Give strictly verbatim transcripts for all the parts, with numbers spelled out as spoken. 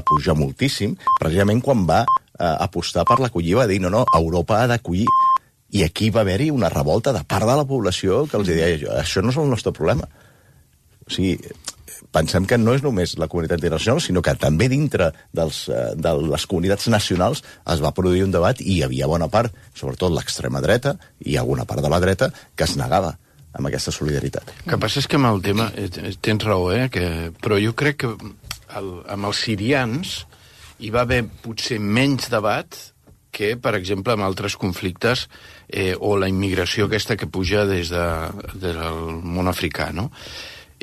pujar moltíssim, precisament quan va eh, apostar per l'acollir, va dir, no, no, Europa ha d'acollir. I aquí va haver-hi una revolta de part de la població que els deia, això no és el nostre problema. O sigui, pensem que no és només la comunitat internacional, sinó que també dintre dels, de les comunitats nacionals es va produir un debat i hi havia bona part, sobretot l'extrema dreta i alguna part de la dreta, que es negava amb aquesta solidaritat. El que passa és que amb el tema, tens raó, eh? Que, però jo crec que el, amb els sirians hi va haver potser menys debat que, per exemple, amb altres conflictes eh, o la immigració aquesta que puja des de, del món africà, no?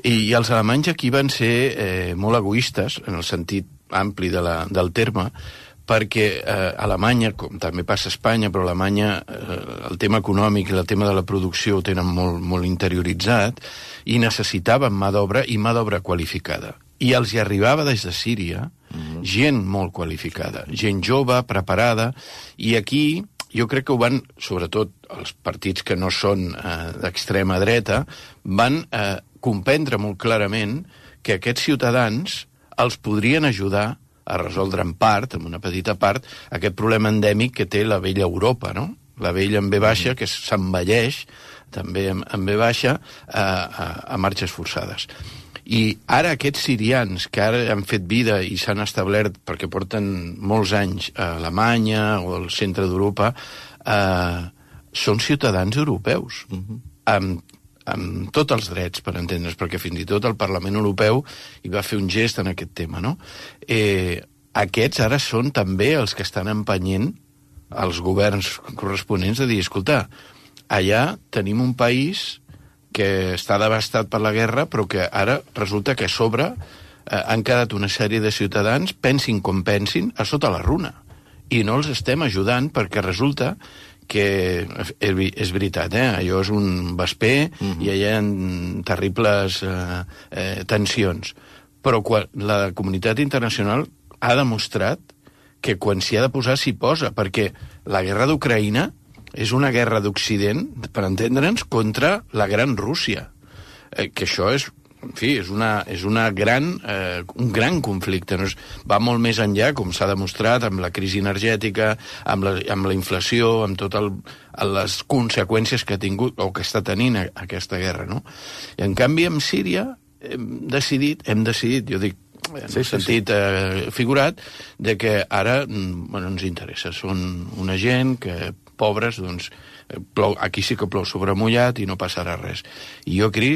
I, i els alemanys aquí van ser eh, molt egoistes, en el sentit ampli de la, del terme, perquè eh, Alemanya, com també passa a Espanya, però Alemanya eh, el tema econòmic i el tema de la producció ho tenen molt, molt interioritzat i necessitaven mà d'obra i mà d'obra qualificada. I els hi arribava des de Síria mm-hmm. gent molt qualificada, gent jove, preparada, i aquí jo crec que ho van, sobretot els partits que no són eh, d'extrema dreta, van eh, comprendre molt clarament que aquests ciutadans els podrien ajudar a resoldre en part, en una petita part, aquest problema endèmic que té la vella Europa, no? La vella en ve baixa, que s'envelleix, també en, en ve baixa, a, a, a marxes forçades. I ara aquests sirians que ara han fet vida i s'han establert perquè porten molts anys a Alemanya o al centre d'Europa, eh, són ciutadans europeus, uh-huh. amb, amb tots els drets, per entendre's, perquè fins i tot el Parlament Europeu hi va fer un gest en aquest tema, no? Eh, aquests ara són també els que estan empenyent els governs corresponents a dir, escolta, allà tenim un país que està devastat per la guerra, però que ara resulta que a sobre eh, han quedat una sèrie de ciutadans, pensin com pensin, a sota la runa. I no els estem ajudant perquè resulta que, és veritat, eh, allò és un vesper mm-hmm. i hi ha terribles eh, eh, tensions. Però quan la comunitat internacional ha demostrat que quan s'hi ha de posar s'hi posa, perquè la guerra d'Ucraïna és una guerra d'Occident, per entendre'ns, contra la gran Rússia. Eh, que això és, en fi, és, una, és una gran, eh, un gran conflicte. No és, va molt més enllà, com s'ha demostrat, amb la crisi energètica, amb la, amb la inflació, amb totes les conseqüències que ha tingut o que està tenint a, aquesta guerra, no? I, en canvi, amb Síria hem decidit, hem decidit, jo dic, en sí, el sentit sí, sí. Eh, figurat, de que ara bueno, ens interessa. Són una gent que pobres, doncs, plou, aquí sí que plou sobre mullat i no passarà res. I jo aquí,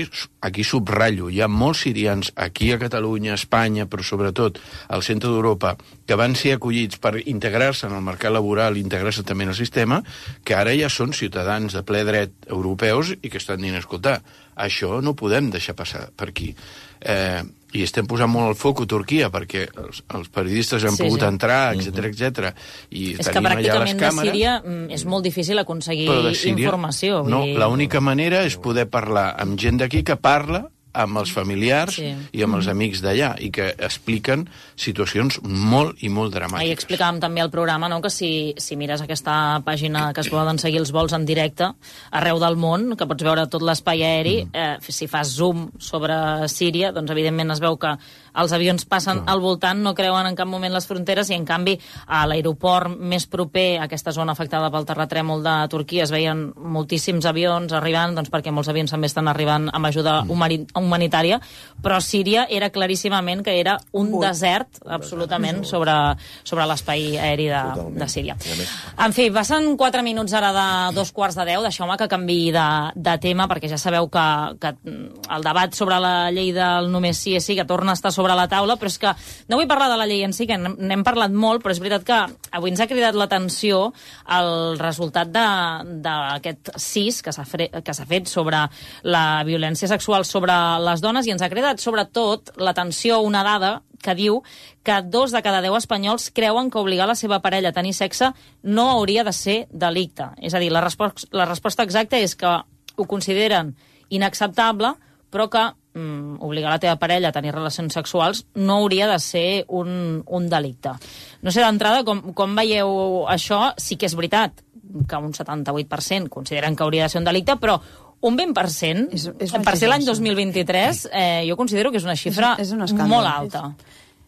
aquí subratllo, hi ha molts sirians aquí a Catalunya, a Espanya, però sobretot al centre d'Europa, que van ser acollits per integrar-se en el mercat laboral i integrar-se també en el sistema, que ara ja són ciutadans de ple dret europeus i que estan dient, escolta, això no podem deixar passar per aquí. Eh, i estem posant molt el foc a Turquia perquè els, els periodistes han sí, pogut sí. entrar, etcètera, etcètera. I és que pràcticament de Síria és molt difícil aconseguir Síria, informació. No, dir... l'única manera és poder parlar amb gent d'aquí que parla amb els familiars sí. i amb els amics d'allà, i que expliquen situacions molt i molt dramàtiques. Ahir explicàvem també al programa, no?, que si, si mires aquesta pàgina que es poden seguir els vols en directe arreu del món, que pots veure tot l'espai aeri, mm. eh, si fas zoom sobre Síria, doncs evidentment es veu que els avions passen mm. al voltant, no creuen en cap moment les fronteres, i en canvi a l'aeroport més proper a aquesta zona afectada pel terratrèmol de Turquia es veien moltíssims avions arribant, doncs perquè molts avions també estan arribant amb ajuda mm. humanitària, però Síria era claríssimament que era un Molt. desert absolutament sobre, sobre l'espai aeri de, de Síria. En fi, passen quatre minuts ara de dos quarts de deu, deixeu-me que canviï de, de tema, perquè ja sabeu que, que el debat sobre la llei del només sí és sí, que torna a estar sobre la taula, però és que no vull parlar de la llei en si, que n'hem parlat molt, però és veritat que avui ens ha cridat l'atenció el resultat d'aquest cis que s'ha fet sobre la violència sexual sobre les dones, i ens ha cridat sobretot l'atenció una dada que diu que dos de cada deu espanyols creuen que obligar la seva parella a tenir sexe no hauria de ser delicte. És a dir, la, resposta, la resposta exacta és que ho consideren inacceptable, però que mm, obligar la teva parella a tenir relacions sexuals no hauria de ser un, un delicte. No sé, d'entrada, com, com veieu això? Sí que és veritat que un setanta-vuit per cent consideren que hauria de ser un delicte, però un vint per cent, és, és per ser l'any dos mil vint-i-tres, eh, jo considero que és una xifra és, és un molt alta.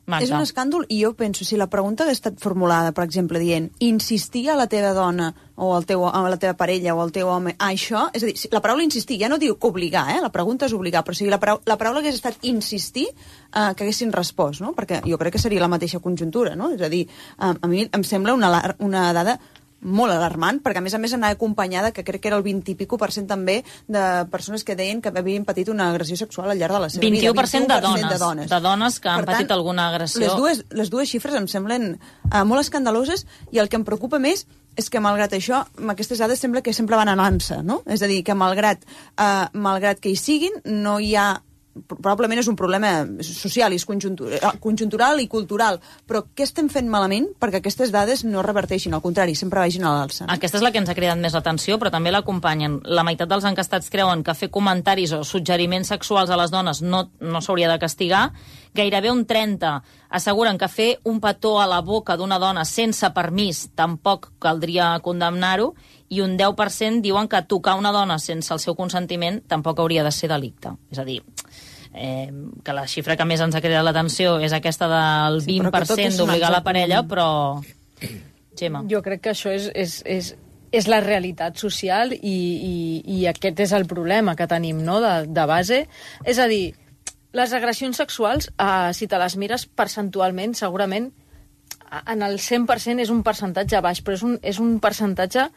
Magda. És un escàndol i jo penso, si la pregunta hagués estat formulada, per exemple, dient insistir a la teva dona o al teu, a la teva parella o al teu home a això, és a dir, la paraula insistir, ja no diu que obligar, eh? La pregunta és obligar, però o sigui, la, paraula, la paraula hagués estat insistir, eh, que haguessin respost, no? Perquè jo crec que seria la mateixa conjuntura, no? És a dir, eh, a mi em sembla una, una dada molt alarmant, perquè a més a més anava acompanyada, que crec que era el vint i pico per cent també, de persones que deien que havien patit una agressió sexual al llarg de la seva vint-i-u vida. per cent de dones, de dones. de dones que han Per tant, patit alguna agressió. Les dues, les dues xifres em semblen uh, molt escandaloses, i el que em preocupa més és que malgrat això, amb aquestes dades sembla que sempre van anant-se, no? És a dir, que malgrat, uh, malgrat que hi siguin, no hi ha probablement és un problema social, és conjuntural i cultural, però què estem fent malament perquè aquestes dades no reverteixin, al contrari, sempre vagin a l'alça? Aquesta és la que ens ha cridat més l'atenció, però també l'acompanyen. La meitat dels encastats creuen que fer comentaris o suggeriments sexuals a les dones no, no s'hauria de castigar. Gairebé un trenta asseguren que fer un petó a la boca d'una dona sense permís tampoc caldria condemnar-ho, i un deu per cent diuen que tocar una dona sense el seu consentiment tampoc hauria de ser delicte. És a dir, eh, que la xifra que més ens ha cridat l'atenció és aquesta del Sí, vint per cent d'obligar la parella, però... Gemma. Jo crec que això és, és, és, és la realitat social i, i, i aquest és el problema que tenim, no?, de, de base. És a dir, les agressions sexuals, eh, si te les mires percentualment, segurament en el cent per cent és un percentatge baix, però és un, és un percentatge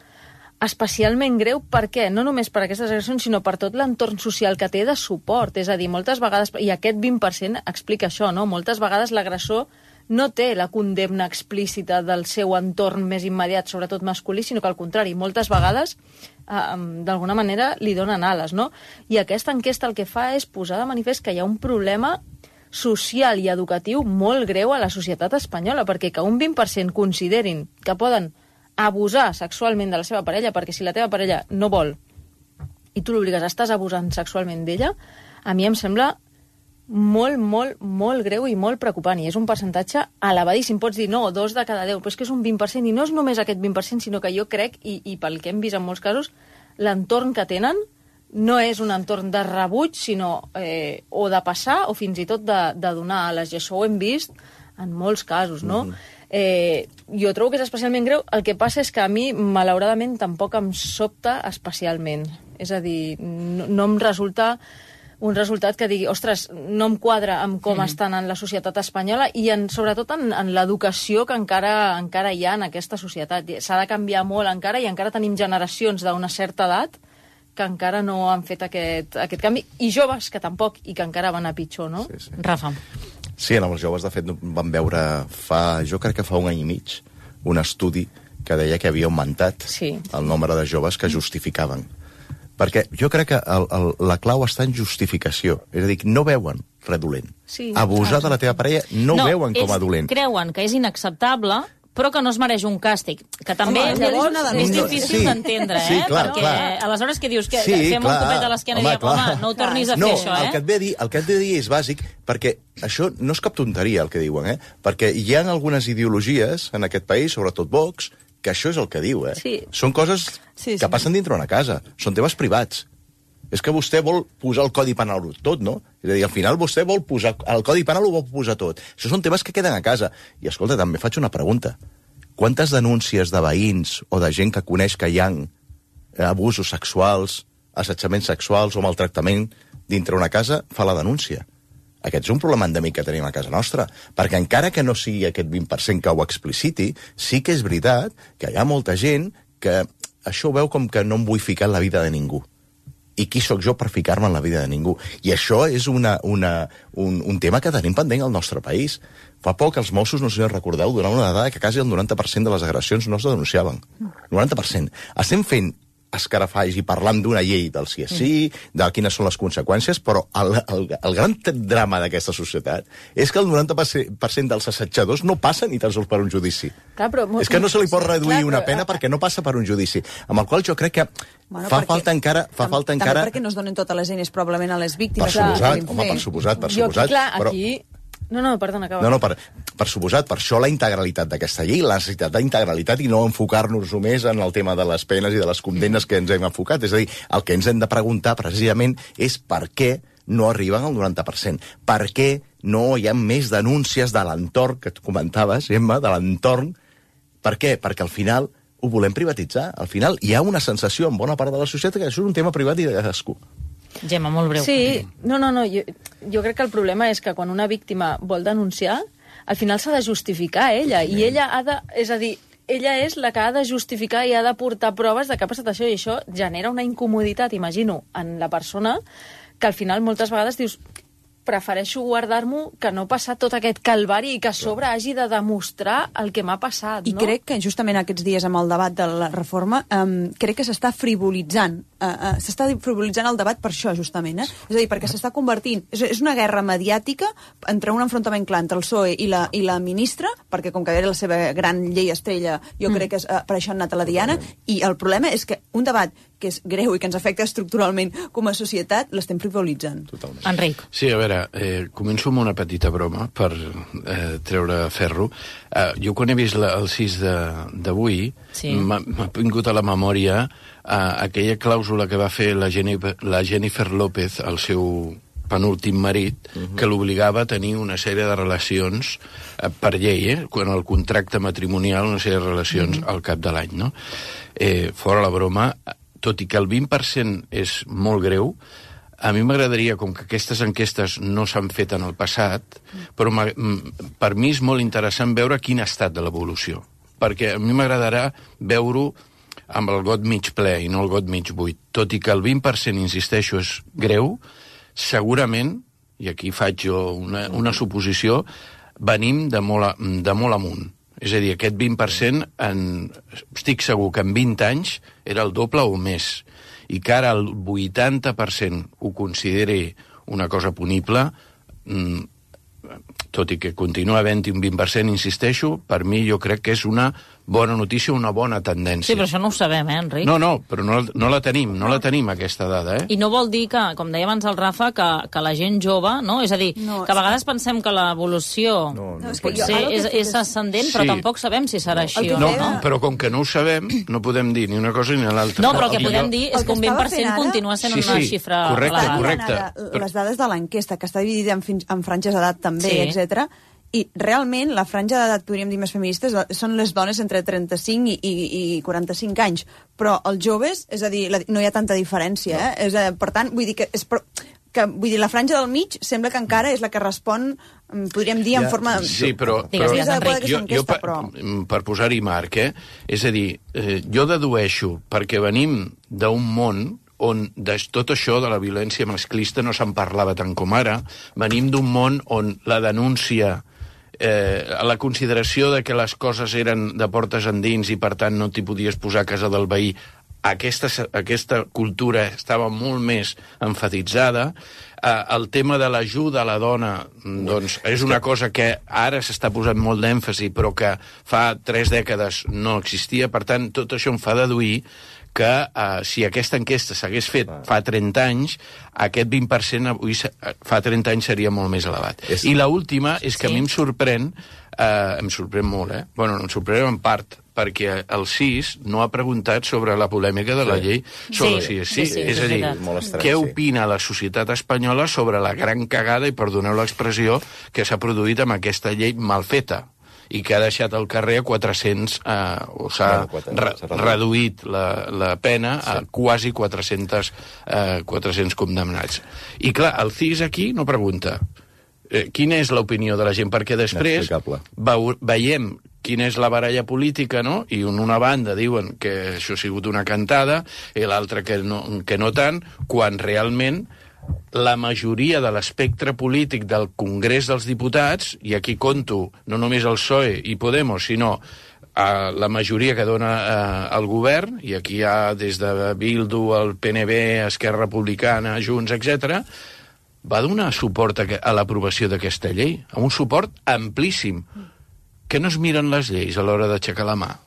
especialment greu. Per què? No només per aquestes agressions, sinó per tot l'entorn social que té de suport. És a dir, moltes vegades, i aquest vint per cent explica això, no? Moltes vegades l'agressor no té la condemna explícita del seu entorn més immediat, sobretot masculí, sinó que al contrari, moltes vegades eh, d'alguna manera li donen ales, no? I aquesta enquesta el que fa és posar de manifest que hi ha un problema social i educatiu molt greu a la societat espanyola, perquè que un vint per cent considerin que poden abusar sexualment de la seva parella, perquè si la teva parella no vol i tu l'obligues, estàs abusant sexualment d'ella, a mi em sembla molt, molt, molt greu i molt preocupant, i és un percentatge elevadíssim. Pots dir, no, dos de cada deu, però és que és un vint per cent, i no és només aquest vint per cent, sinó que jo crec, i, i pel que hem vist en molts casos, l'entorn que tenen no és un entorn de rebuig, sinó eh, o de passar o fins i tot de, de donar ales, i això ho hem vist en molts casos, no? Mm-hmm. Eh, jo trobo que és especialment greu. El que passa és que a mi, malauradament, tampoc em sobta especialment. És a dir, no, no em resulta un resultat que digui, ostres, no em quadra amb com mm. estan en la societat espanyola i en, sobretot en, en l'educació que encara, encara hi ha en aquesta societat. S'ha de canviar molt encara, i encara tenim generacions d'una certa edat que encara no han fet aquest, aquest canvi, i joves que tampoc, i que encara van a pitjor, no? Sí, sí. Rafa. Sí, en els joves, de fet, vam veure fa, jo crec que fa un any i mig, un estudi que deia que havia augmentat sí. el nombre de joves que justificaven. Perquè jo crec que el, el, la clau està en justificació. És a dir, no veuen res dolent. Sí, abusar ah, de la teva parella no, no ho veuen com a dolent. Creuen que és inacceptable, però que no es mereix un càstig, que també Home, llavors, és no, difícil sí, d'entendre, eh? sí, clar, perquè clar. aleshores què dius? Que sí, fem clar, un copet a l'esquena i diem, home, no ho tornis a fer, no, això, eh? El que et ve a dir, el que et ve a dir és bàsic, perquè això no és cap tonteria el que diuen, eh? Perquè hi ha algunes ideologies en aquest país, sobretot Vox, que això és el que diu, eh? Sí. Són coses sí, sí. que passen dintre una casa, són temes privats. És que vostè vol posar el Codi Penal tot, no? És a dir, al final vostè vol posar... El Codi Penal ho vol posar tot. Això són temes que queden a casa. I, escolta, també faig una pregunta. Quantes denúncies de veïns o de gent que coneix que hi ha abusos sexuals, assetjaments sexuals o maltractament dintre una casa fa la denúncia? Aquest és un problema endèmic que tenim a casa nostra, perquè encara que no sigui aquest vint per cent que ho expliciti, sí que és veritat que hi ha molta gent que això ho veu com que no em vull ficar en la vida de ningú. I qui sóc jo per ficar-me en la vida de ningú? I això és una, una, un, un tema que tenim pendent al nostre país. Fa poc els Mossos, no sé si us recordeu, donaven una dada que quasi el noranta per cent de les agressions no es denunciaven. noranta per cent. Estem fent escarafalls i parlant d'una llei del sí és sí, de quines són les conseqüències, però el, el, el gran drama d'aquesta societat és que el noranta per cent dels assetjadors no passen ni tan sols per un judici. Clar, però, és que no se li pot reduir clar, una però, pena perquè no passa per un judici, amb el qual jo crec que Bueno, fa perquè, falta encara... Fa tam, falta encara... També perquè no es donen totes les eines probablement a les víctimes. Per suposat, home, per suposat, per jo, suposat. clar, però... aquí... No, no, perdona, acaba. No, no, per, per suposat, per això la integralitat d'aquesta llei, la necessitat d'integralitat i no enfocar-nos només en el tema de les penes i de les condemnes que ens hem enfocat. És a dir, el que ens hem de preguntar precisament és per què no arriben al noranta per cent. Per què no hi ha més denúncies de l'entorn, que tu comentaves, Emma, de l'entorn. Per què? Perquè al final ho volem privatitzar. Al final hi ha una sensació en bona part de la societat que això és un tema privat i de cadascú. Gemma, molt breu. Sí, no, no, no. Jo, jo crec que el problema és que quan una víctima vol denunciar, al final s'ha de justificar ella, i ella ha de... És a dir, ella és la que ha de justificar i ha de portar proves de que ha passat això, i això genera una incomoditat, imagino, en la persona, que al final moltes vegades dius prefereixo guardar-m'ho que no passar tot aquest calvari i que a sobre hagi de demostrar el que m'ha passat, I no? crec que justament aquests dies amb el debat de la reforma um, crec que s'està frivolitzant uh, uh, s'està frivolitzant el debat per això, justament, eh? És a dir, perquè s'està convertint... És, és una guerra mediàtica entre un enfrontament clar entre el P S O E i la, i la ministra, perquè com que era la seva gran llei estrella, jo mm. crec que és, uh, per això han anat a la diana, i el problema és que un debat que és greu i que ens afecta estructuralment com a societat, l'estem frivolitzant. Totalment. Enric. Sí, a veure, eh, començo amb una petita broma per eh, treure ferro. Eh, jo quan he vist la, el sis d'avui, sí. m'ha vingut a la memòria eh, aquella clàusula que va fer la Jennifer, la Jennifer López al seu penúltim marit, uh-huh. que l'obligava a tenir una sèrie de relacions eh, per llei, eh, quan el contracte matrimonial, una sèrie de relacions uh-huh. al cap de l'any, no? Eh, fora la broma, tot i que el vint per cent és molt greu, a mi m'agradaria, com que aquestes enquestes no s'han fet en el passat, però per mi és molt interessant veure quin ha estat de l'evolució. Perquè a mi m'agradarà veure-ho amb el got mig ple i no el got mig buit. Tot i que el vint per cent, insisteixo, és greu, segurament, i aquí faig jo una, una suposició, venim de molt, a, de molt amunt. És a dir, aquest vint per cent, en, estic segur que en vint anys era el doble o més, i que ara el vuitanta per cent ho consideri una cosa punible, mmm, tot i que continua havent-hi un vint per cent, insisteixo, per mi jo crec que és una bona notícia, una bona tendència. Sí, però això no ho sabem, eh, Enric? No, no, però no, no la tenim, no la tenim, aquesta dada, eh? I no vol dir que, com deia abans el Rafa, que, que la gent jove, no? És a dir, no, que a vegades pensem que l'evolució no, no, no, és que potser jo, és, és, és ascendent, Sí. però tampoc sabem si serà així El o que no, No, no? però com que no ho sabem, no podem dir ni una cosa ni l'altra. No, però el que I podem jo- dir el és que un que vint per estava cent fent ara- continua sent Sí, una sí, xifra correcte, elevada. correcte. Ara, les dades de l'enquesta, que està dividida en, fins, en franges d'edat també, Sí. etcètera. I realment la franja d'edat, podríem dir, més feministes són les dones entre trenta-cinc i, i, i quaranta-cinc anys, però els joves, és a dir, la, no hi ha tanta diferència, no. eh? És, a, per tant, vull dir que, és, que vull dir, la franja del mig sembla que encara és la que respon, podríem dir, en Ja, forma... Sí, però, Digues, però digues, Enric. jo, jo per, però... per posar-hi marc, eh? És a dir, eh, jo dedueixo, perquè venim d'un món on de tot això de la violència masclista no se'n parlava tant com ara, venim d'un món on la denúncia, eh, la consideració de que les coses eren de portes endins i per tant no t'hi podies posar a casa del veí, aquesta, aquesta cultura estava molt més enfatitzada. Eh, el tema de l'ajuda a la dona, doncs, és una cosa que ara s'està posant molt d'èmfasi, però que fa tres dècades no existia. Per tant, tot això em fa deduir que eh, si aquesta enquesta s'hagués fet fa trenta anys, aquest vint per cent avui fa trenta anys seria molt més elevat. És... I l'última és que Sí. a mi em sorprèn, eh, em sorprèn molt, eh? Bueno, em sorprèn en part, perquè el sis no ha preguntat sobre la polèmica de la Sí. llei sobre Sí, sí, sí, sí, sí, és és a dir, veritat. Molt estrany, què sí. opina la societat espanyola sobre la gran cagada, i perdoneu l'expressió, que s'ha produït amb aquesta llei mal feta i que ha deixat al carrer a quatre-cents, eh, o s'ha Bueno, re s'ha reduït. reduït la, la pena a Sí. quasi quatre-cents, eh, quatre-cents condemnats. I clar, el C I S aquí no pregunta eh, quina és l'opinió de la gent, perquè després Inexplicable. veu, veiem quina és la baralla política, no? I en una banda diuen que això ha sigut una cantada, i l'altra que, no, que no tant, quan realment la majoria de l'espectre polític del Congrés dels Diputats, i aquí conto no només el P S O E i Podemos, sinó eh, la majoria que dona eh, el govern, i aquí hi ha des de Bildu, el P N B, Esquerra Republicana, Junts, etcètera, va donar suport a, a l'aprovació d'aquesta llei, a un suport amplíssim, que no es miren les lleis a l'hora d'aixecar la mà.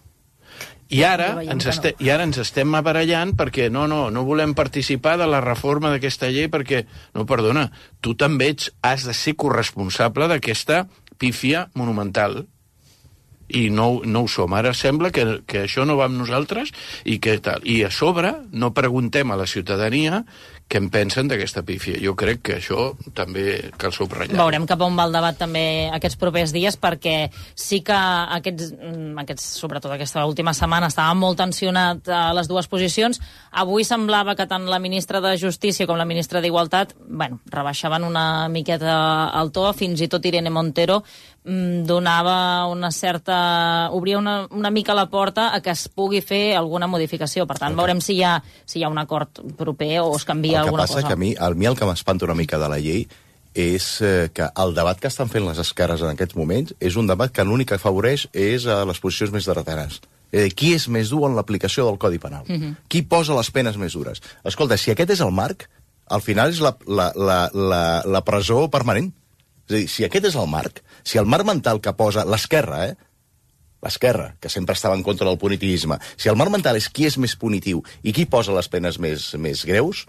I ara, Ja veiem ens que no. este, I ara ens estem barallant perquè no, no, no volem participar de la reforma d'aquesta llei perquè, no, perdona, tu també ets, has de ser corresponsable d'aquesta pífia monumental. i no, no ho som. Ara sembla que, que això no va amb nosaltres i que tal. I a sobre no preguntem a la ciutadania què en pensen d'aquesta pífia. Jo crec que això també cal subratllar. Veurem cap a on va el debat també aquests propers dies, perquè sí que aquests, aquests sobretot aquesta última setmana estava molt tensionat a les dues posicions. Avui semblava que tant la ministra de Justícia com la ministra d'Igualtat, bueno, rebaixaven una miqueta el to, fins i tot Irene Montero donava una certa... obria una, una mica la porta a que es pugui fer alguna modificació. Per tant, okay. veurem si hi ha, si hi ha un acord proper o es canvia alguna cosa. El que passa que a mi, a mi el que m'espanta una mica de la llei és eh, que el debat que estan fent les esquerres en aquests moments és un debat que l'únic que afavoreix és a les posicions més derroteres. Eh, qui és més dur en l'aplicació del Codi Penal? Uh -huh. Qui posa les penes més dures? Escolta, si aquest és el marc, al final és la, la, la, la, la presó permanent. És a dir, si aquest és el marc, si el marc mental que posa l'esquerra, eh, l'esquerra, que sempre estava en contra del punitivisme, si el marc mental és qui és més punitiu i qui posa les penes més, més greus,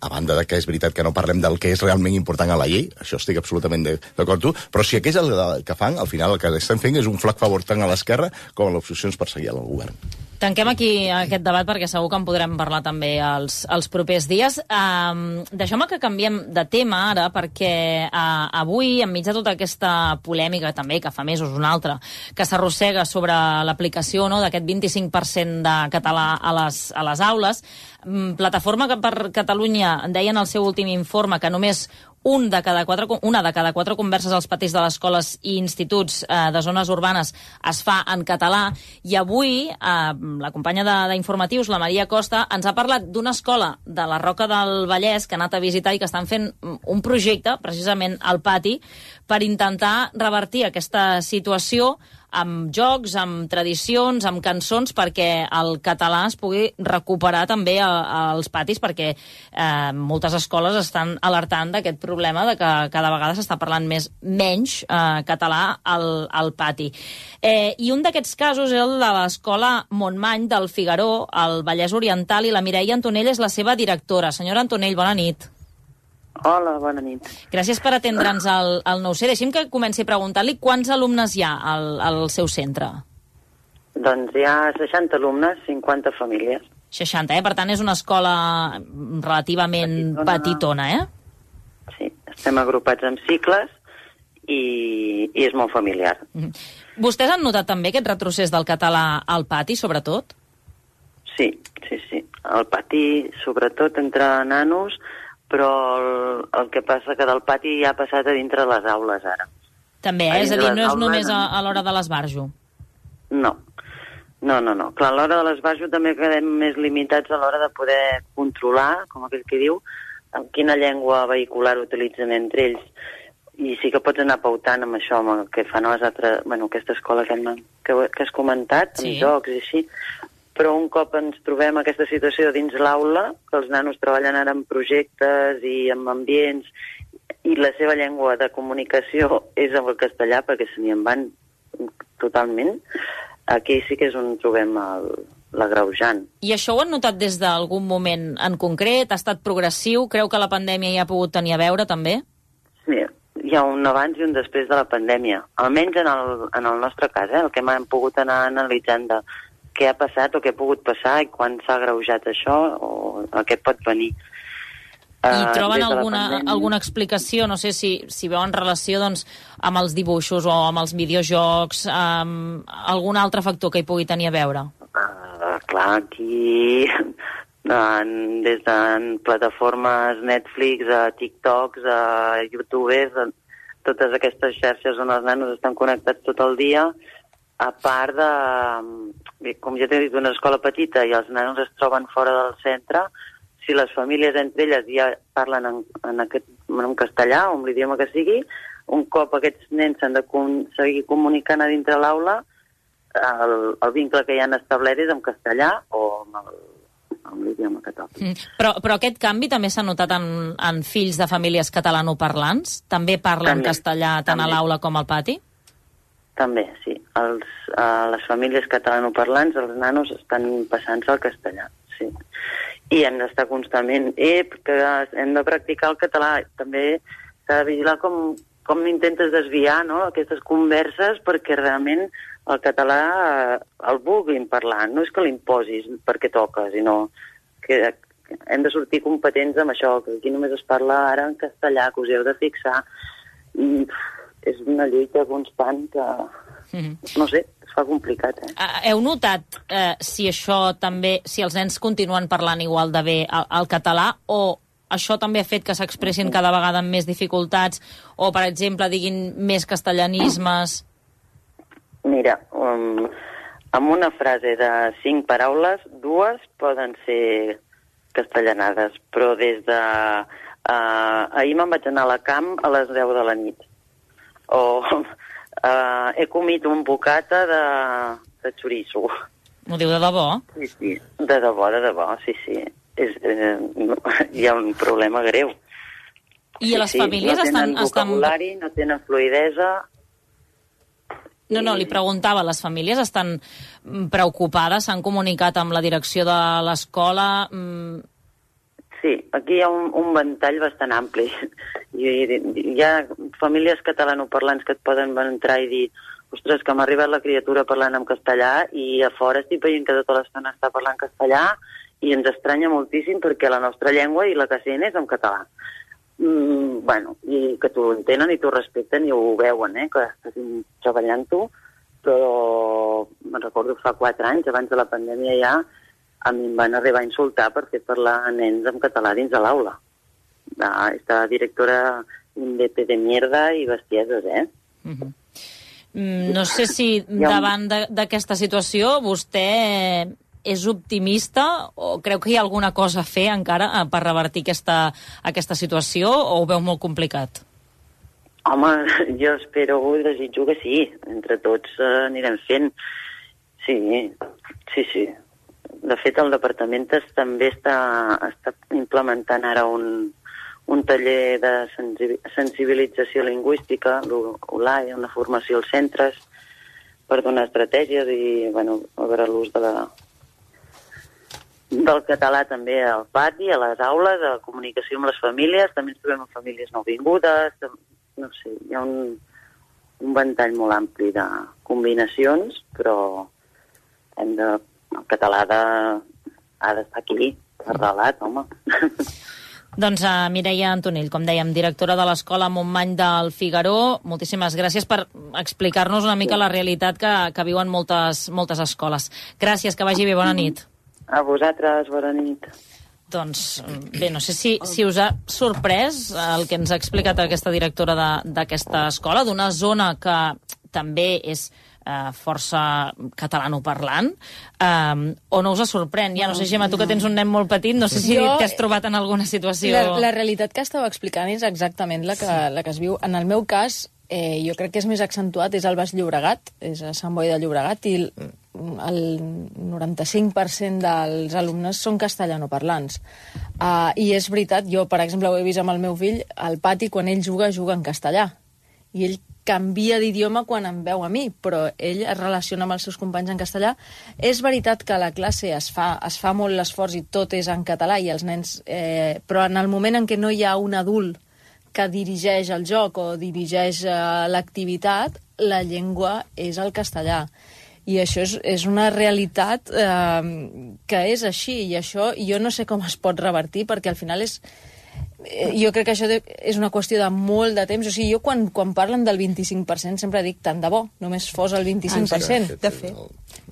a banda de que és veritat que no parlem del que és realment important a la llei, això estic absolutament d'acord tu, però si aquest és el que fan, al final el que estem fent és un flac favor tant a l'esquerra com a l'oposició ens perseguia al govern. Tanquem aquí aquest debat perquè segur que en podrem parlar també els, els propers dies. Um, Deixeu-me que canviem de tema ara, perquè uh, avui, enmig de tota aquesta polèmica també, que fa mesos una altra, que s'arrossega sobre l'aplicació, no, d'aquest vint-i-cinc per cent de català a les, a les aules, um, Plataforma per Catalunya deia en el seu últim informe que només un de cada quatre, una de cada quatre converses als patis de les escoles i instituts eh, de zones urbanes es fa en català, i avui eh, la companya d'Informatius, la Maria Costa, ens ha parlat d'una escola de la Roca del Vallès que ha anat a visitar i que estan fent un projecte, precisament al pati, per intentar revertir aquesta situació amb jocs, amb tradicions, amb cançons, perquè el català es pugui recuperar també a, als patis, perquè eh, moltes escoles estan alertant d'aquest problema de que cada vegada s'està parlant més menys eh, català al, al pati. Eh, I un d'aquests casos és el de l'escola Montmany del Figaró, al Vallès Oriental, i la Mireia Antonell és la seva directora. Senyora Antonell, bona nit. Hola, bona nit. Gràcies per atendre'ns al, al nou C. Deixi'm que comenci a preguntar-li quants alumnes hi ha al, al seu centre. Doncs hi ha seixanta alumnes, cinquanta famílies. seixanta, eh? Per tant, és una escola relativament petitona, petitona eh? Sí, estem agrupats en cicles i, i és molt familiar. Mm. Vostès han notat també aquest retrocés del català al pati, sobretot? Sí, sí, sí. Al pati, sobretot entre nanos, però el, el que passa que del pati ja ha passat a dintre les aules, ara. També, eh? És a dir, no és només a, a l'hora de l'esbarjo. No, no, no, no. Clar, a l'hora de l'esbarjo també quedem més limitats a l'hora de poder controlar, com aquell que diu, en quina llengua vehicular utilitzen entre ells. I sí que pots anar pautant amb això, amb el que fan les altres... Bueno, aquesta escola que, hem, que, que has comentat, sí. Amb jocs i així. Però un cop ens trobem aquesta situació dins l'aula, que els nanos treballen ara en projectes i en ambients, i la seva llengua de comunicació és el castellà, perquè se n'hi en van totalment, aquí sí que és on trobem l'agreujant. I això ho han notat des d'algun moment en concret? Ha estat progressiu? Creu que la pandèmia hi ha pogut tenir a veure, també? Sí, hi ha un abans i un després de la pandèmia. Almenys en el, en el nostre cas, eh, el que hem pogut anar analitzant de què ha passat o què ha pogut passar i quan s'ha agreujat això o el que pot venir. I troben uh, alguna, alguna explicació, no sé si, si veuen relació doncs, amb els dibuixos o amb els videojocs, amb algun altre factor que hi pugui tenir a veure? Uh, clar, aquí en, des de plataformes Netflix, a TikToks, a YouTubers, a totes aquestes xarxes on els nanos estan connectats tot el dia, a part de, com ja t'he dit, una escola petita i els nanos es troben fora del centre, si les famílies entre elles ja parlen en, en, aquest, en castellà o en l'idioma que sigui, un cop aquests nens s'han de con, seguir comunicant a dintre l'aula, el, el vincle que hi han establert és en castellà o amb el amb l'idioma que toqui. Mm. Però, però aquest canvi també s'ha notat en, en fills de famílies catalanoparlants? També parlen també, castellà tant també. A l'aula com al pati? També, sí. Els, uh, les famílies catalanoparlants, els nanos estan passant-se al castellà, sí. I hem d'estar constantment, eh, que hem de practicar el català. També s'ha de vigilar com com intentes desviar, no?, aquestes converses perquè realment el català eh, el vulguin parlar. No és que l'imposis perquè toca, sinó que hem de sortir competents amb això, que aquí només es parla ara en castellà, que us heu de fixar. I és una lluita constant que, mm-hmm. no sé, es fa complicat. Eh? Heu notat eh, si això també, si els nens continuen parlant igual de bé el, el català, o això també ha fet que s'expressin cada vegada amb més dificultats, o, per exemple, diguin més castellanismes? Mira, um, amb una frase de cinc paraules, dues poden ser castellanades, però des de... Uh, ahir me'n vaig anar a la camp a les deu de la nit. O uh, he comit un bocata de, de xoriço. M'ho diu de debò? Sí, sí, de debò, de debò, sí, sí. És, eh, no, hi ha un problema greu. I sí, les sí, famílies no estan... tenen vocabulari, estan... no tenen fluïdesa... No, no, li preguntava, les famílies estan preocupades, s'han comunicat amb la direcció de l'escola... Sí, aquí hi ha un, un ventall bastant ampli. Hi, hi ha famílies catalanoparlants que et poden entrar i dir ostres, que m'ha arribat la criatura parlant en castellà i a fora estic veient que tota l'estona està parlant castellà i ens estranya moltíssim perquè la nostra llengua i la que sent és en català. Mm, bueno, i que t'ho entenen i t'ho respecten i ho veuen, eh, que estàs treballant-ho, però me'n recordo fa quatre anys, abans de la pandèmia ja, a mi em van arribar a insultar per fer parlar a nens en català dins de l'aula. Esta directora un D P de mierda i bestieses, eh? Mm-hmm. Mm, no sé si davant d'aquesta situació vostè és optimista o creu que hi ha alguna cosa a fer encara per revertir aquesta, aquesta situació o ho veu molt complicat? Home, jo espero, desitjo que sí. Entre tots eh, anirem fent. Sí, sí, sí. De fet, el departament també està, està implementant ara un, un taller de sensibilització lingüística, l'U L A E, una formació als centres per donar estratègies i, bueno, a veure l'ús de la, del català també al pati, a les aules, a la comunicació amb les famílies, també ens trobem amb famílies nouvingudes, no sé, hi ha un, un ventall molt ampli de combinacions, però hem de, el català de, ha d'estar aquí, arrelat, home. Doncs uh, Mireia Antonell, com dèiem, directora de l'Escola Montmany del Figaró, moltíssimes gràcies per explicar-nos una mica la realitat que, que viuen moltes, moltes escoles. Gràcies, que vagi bé, bona nit. A vosaltres, bona nit. Doncs bé, no sé si, si us ha sorprès el que ens ha explicat aquesta directora d'aquesta escola, d'una zona que també és eh, força catalanoparlant, eh, o no us sorprèn? Ja no sé, Gemma, tu que tens un nen molt petit, no sé si jo, t'has trobat en alguna situació... La, la realitat que estava explicant és exactament la que, la que es viu. En el meu cas, eh, jo crec que és més accentuat, és el Baix Llobregat, és a Sant Boi de Llobregat, i el, el noranta-cinc per cent dels alumnes són castellanoparlants. Uh, I és veritat, jo, per exemple, ho he vist amb el meu fill, al pati, quan ell juga, juga en castellà. I ell canvia d'idioma quan em veu a mi, però ell es relaciona amb els seus companys en castellà. És veritat que a la classe es fa, es fa molt l'esforç i tot és en català, i els nens... Eh, però en el moment en què no hi ha un adult que dirigeix el joc o dirigeix eh, l'activitat, la llengua és el castellà. I això és, és una realitat eh, que és així, i això jo no sé com es pot revertir, perquè al final és... Eh, jo crec que això de, és una qüestió de molt de temps. O sigui, jo quan, quan parlen del vint-i-cinc per cent sempre dic tant de bo, només fos el vint-i-cinc per cent. De fet.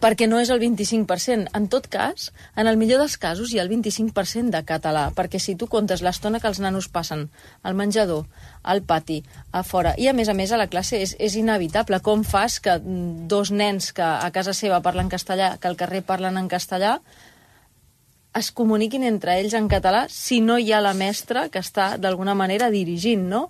Perquè no és el vint-i-cinc per cent. En tot cas, en el millor dels casos hi ha el vint-i-cinc per cent de català, perquè si tu comptes l'estona que els nanos passen al menjador, al pati, a fora, i a més a més a la classe és, és inevitable. Com fas que dos nens que a casa seva parlen castellà, que al carrer parlen en castellà, es comuniquin entre ells en català si no hi ha la mestra que està d'alguna manera dirigint, no?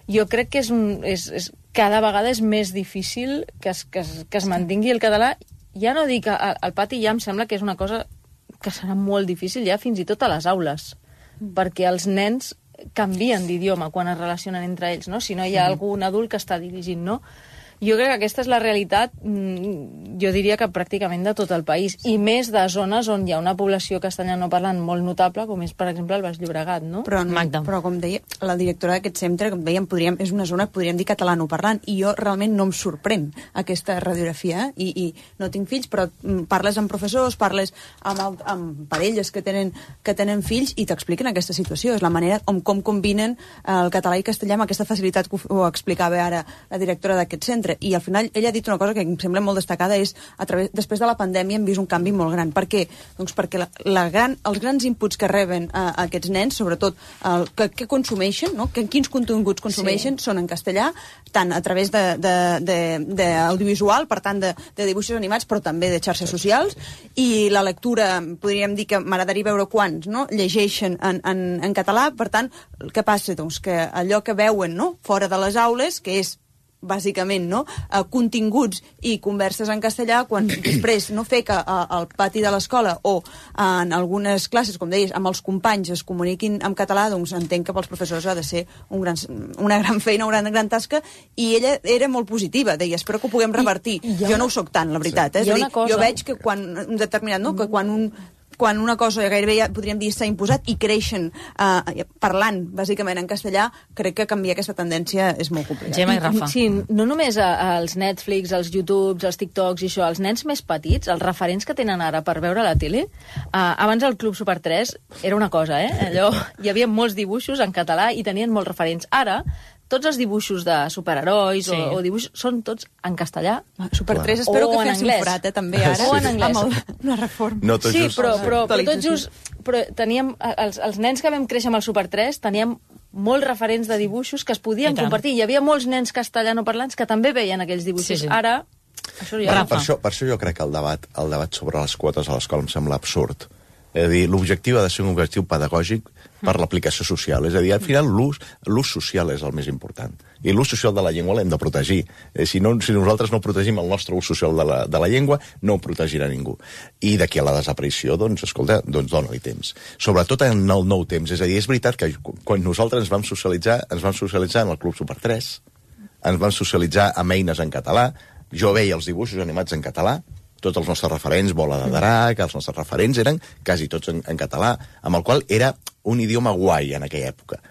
Jo crec que és un, és, és, cada vegada és més difícil que es, que, es, que es mantingui el català. Ja no dic al, al pati, ja em sembla que és una cosa que serà molt difícil ja fins i tot a les aules, perquè els nens canvien d'idioma quan es relacionen entre ells, no? Si no hi ha algun adult que està dirigint, no? Jo crec que aquesta és la realitat. jo diria que pràcticament de tot el país, i més de zones on hi ha una població castellanoparlant molt notable, com és, per exemple, el Baix Llobregat, no? Però, Magda. però com deia, la directora d'aquest centre, com dèiem, podríem, és una zona que podríem dir catalanoparlant, i jo realment no em sorprèn aquesta radiografia, eh? I, i no tinc fills, però parles amb professors, parles amb, el, amb parelles que tenen, que tenen fills i t'expliquen aquesta situació. És la manera com, com combinen el català i castellà amb aquesta facilitat que ho explicava ara la directora d'aquest centre. I al final ella ha dit una cosa que em sembla molt destacada, és a través, després de la pandèmia hem vist un canvi molt gran. Per què? Doncs perquè la, la gran, els grans inputs que reben a, a aquests nens, sobretot el, que, que consumeixen, no? que, quins continguts consumeixen, sí. són en castellà, tant a través d'audiovisual, per tant de, de dibuixos animats, però també de xarxes socials, i la lectura, podríem dir que m'agradaria veure quants, no? llegeixen en, en, en català. Per tant, què passa? Doncs que allò que veuen, no? fora de les aules, que és bàsicament, no? Uh, continguts i converses en castellà, quan després no fer que uh, al pati de l'escola o uh, en algunes classes, com deies, amb els companys es comuniquin en català, doncs entenc que pels professors ha de ser un gran, una gran feina, una gran, gran tasca, i ella era molt positiva, deia, espero que ho puguem revertir. I, jo no ho soc tant, la veritat. Sí. Eh? És a dir, cosa... jo veig que quan un determinat, no? que quan un quan una cosa gairebé ja podríem dir s'ha imposat i creixen eh, parlant bàsicament en castellà, crec que canviar aquesta tendència és molt complicat. Gemma i Rafa. Sí, no només als Netflix, als YouTubes, als TikToks i això, els nens més petits, els referents que tenen ara per veure la tele, eh, abans el Club Super tres era una cosa, eh? Allò, hi havia molts dibuixos en català i tenien molts referents. Ara, tots els dibuixos de superherois sí. o, o dibuixos són tots en castellà. Super tres, espero o que fes un forat, eh, també, ara. O en anglès. Amb el, la reforma. No tot sí, just. però, però, però tot just... Però teníem, els, els nens que vam créixer amb el Super tres teníem molts referents de dibuixos que es podien compartir. Hi havia molts nens castellanoparlants que també veien aquells dibuixos. Sí, sí. Ara, això ja... Per, per, això, per això jo crec que el debat, el debat sobre les quotes a l'escola em sembla absurd. És a dir, l'objectiu ha de ser un objectiu pedagògic per l'aplicació social. És a dir, al final l'ús l'ús social és el més important. I l'ús social de la llengua l'hem de protegir. Eh, si, no, si nosaltres no protegim el nostre ús social de la, de la llengua, no ho protegirà ningú. I d'aquí a la desaparició, doncs, escolta, doncs dona-li temps. Sobretot en el nou temps. És a dir, és veritat que quan nosaltres ens vam socialitzar, ens vam socialitzar en el Club Super tres, ens vam socialitzar amb eines en català, jo veia els dibuixos animats en català, tots els nostres referents, Bola de Drac, els nostres referents eren quasi tots en, en català, amb el qual era un idioma guai en aquella època.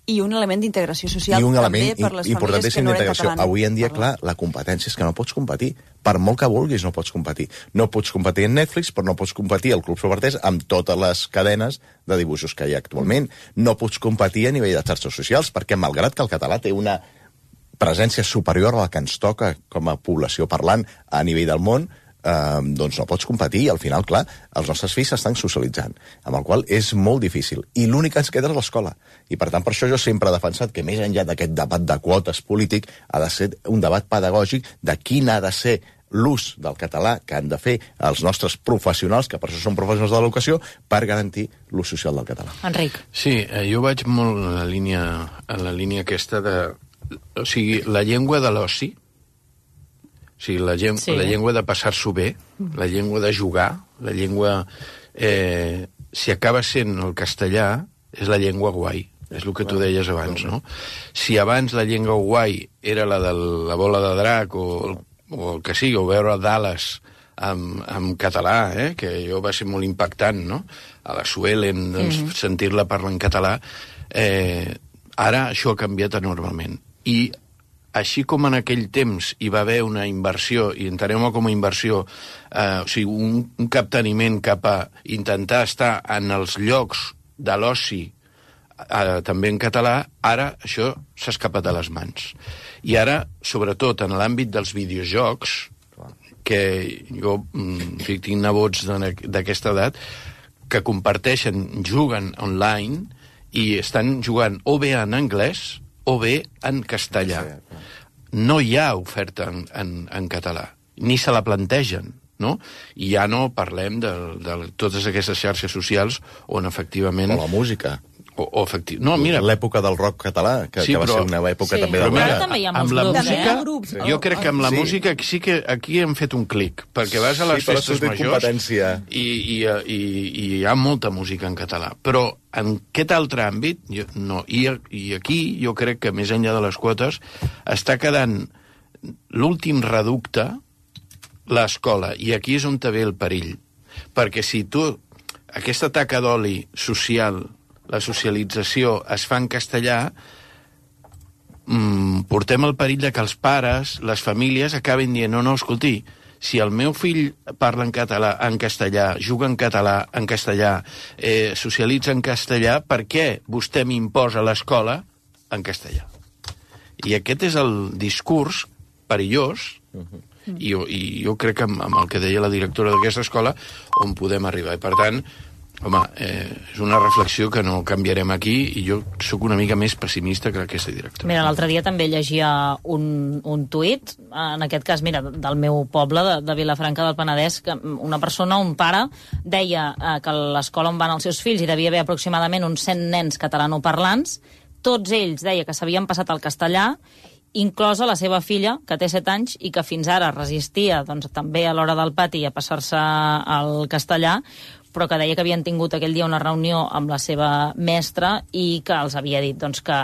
I un element d'integració social I un també element per les famílies que no eren catalanes. Avui en dia, clar, la competència és que no pots competir. Per molt que vulguis, no pots competir. No pots competir en Netflix, però no pots competir al Club Super tres amb totes les cadenes de dibuixos que hi ha actualment. No pots competir a nivell de xarxes socials, perquè malgrat que el català té una presència superior a la que ens toca com a població parlant a nivell del món, Uh, doncs no pots competir i al final, clar, els nostres fills s'estan socialitzant, amb el qual és molt difícil. I l'únic que ens queda és l'escola. I per tant, per això jo sempre he defensat que més enllà d'aquest debat de quotes polític ha de ser un debat pedagògic de quin ha de ser l'ús del català que han de fer els nostres professionals, que per això són professionals de l'educació, per garantir l'ús social del català. Enric. Sí, eh, jo vaig molt en la línia, en la línia aquesta de... O sigui, la llengua de l'oci, o sigui, la, lleng sí. la llengua de passar-s'ho bé, la llengua de jugar, la llengua... Eh, si acaba sent el castellà, és la llengua guai, és el que tu deies abans, no? Si abans la llengua guai era la de la Bola de Drac o, o el que sigui, o veure Dallas en, en català, eh? Que jo va ser molt impactant, no? A la Suelen, doncs, mm-hmm. sentir-la parlar en català. Eh, ara això ha canviat enormement. I així com en aquell temps hi va haver una inversió, i entenem-ho com a inversió, eh, o sigui, un, un capteniment cap a intentar estar en els llocs de l'oci, eh, també en català, ara això s'ha escapat de les mans. I ara, sobretot en l'àmbit dels videojocs, que jo en fi, tinc nebots d'aquesta edat, que comparteixen, juguen online, i estan jugant o bé en anglès o bé en castellà. No hi ha oferta en, en, en català, ni se la plantegen, no? I ja no parlem de, de totes aquestes xarxes socials on efectivament... O la música. O, o efectiu... No, mira... L'època del rock català, que, sí, que va però... ser una època sí. també de... Però mira, també hi ha molts grups, música, eh? Grups. Jo crec que amb la sí. música sí que aquí hem fet un clic, perquè vas a les sí, festes majors i, i, i, i hi ha molta música en català. Però en aquest altre àmbit, jo, no. I, I aquí jo crec que més enllà de les quotes està quedant l'últim reducte, l'escola, i aquí és on te ve el perill. Perquè si tu, aquesta taca d'oli social, la socialització es fa en castellà, mmm, portem el perill de que els pares, les famílies, acabin dient, no, no, escolti, si el meu fill parla en català, en castellà, juga en català, en castellà, eh, socialitza en castellà, per què vostè m'imposa l'escola en castellà? I aquest és el discurs perillós, uh-huh. I, i jo crec que amb, amb el que deia la directora d'aquesta escola on podem arribar. I per tant, home, eh, és una reflexió que no canviarem aquí i jo sóc una mica més pessimista que aquesta directora. Mira, l'altre dia també llegia un, un tuit, en aquest cas, mira, del meu poble, de, de Vilafranca del Penedès, que una persona, un pare, deia eh, que a l'escola on van els seus fills hi devia haver aproximadament uns cent nens catalanoparlants, tots ells deia que s'havien passat al castellà, inclosa la seva filla, que té set anys i que fins ara resistia doncs, també a l'hora del pati a passar-se al castellà, però que deia que havien tingut aquell dia una reunió amb la seva mestra i que els havia dit doncs, que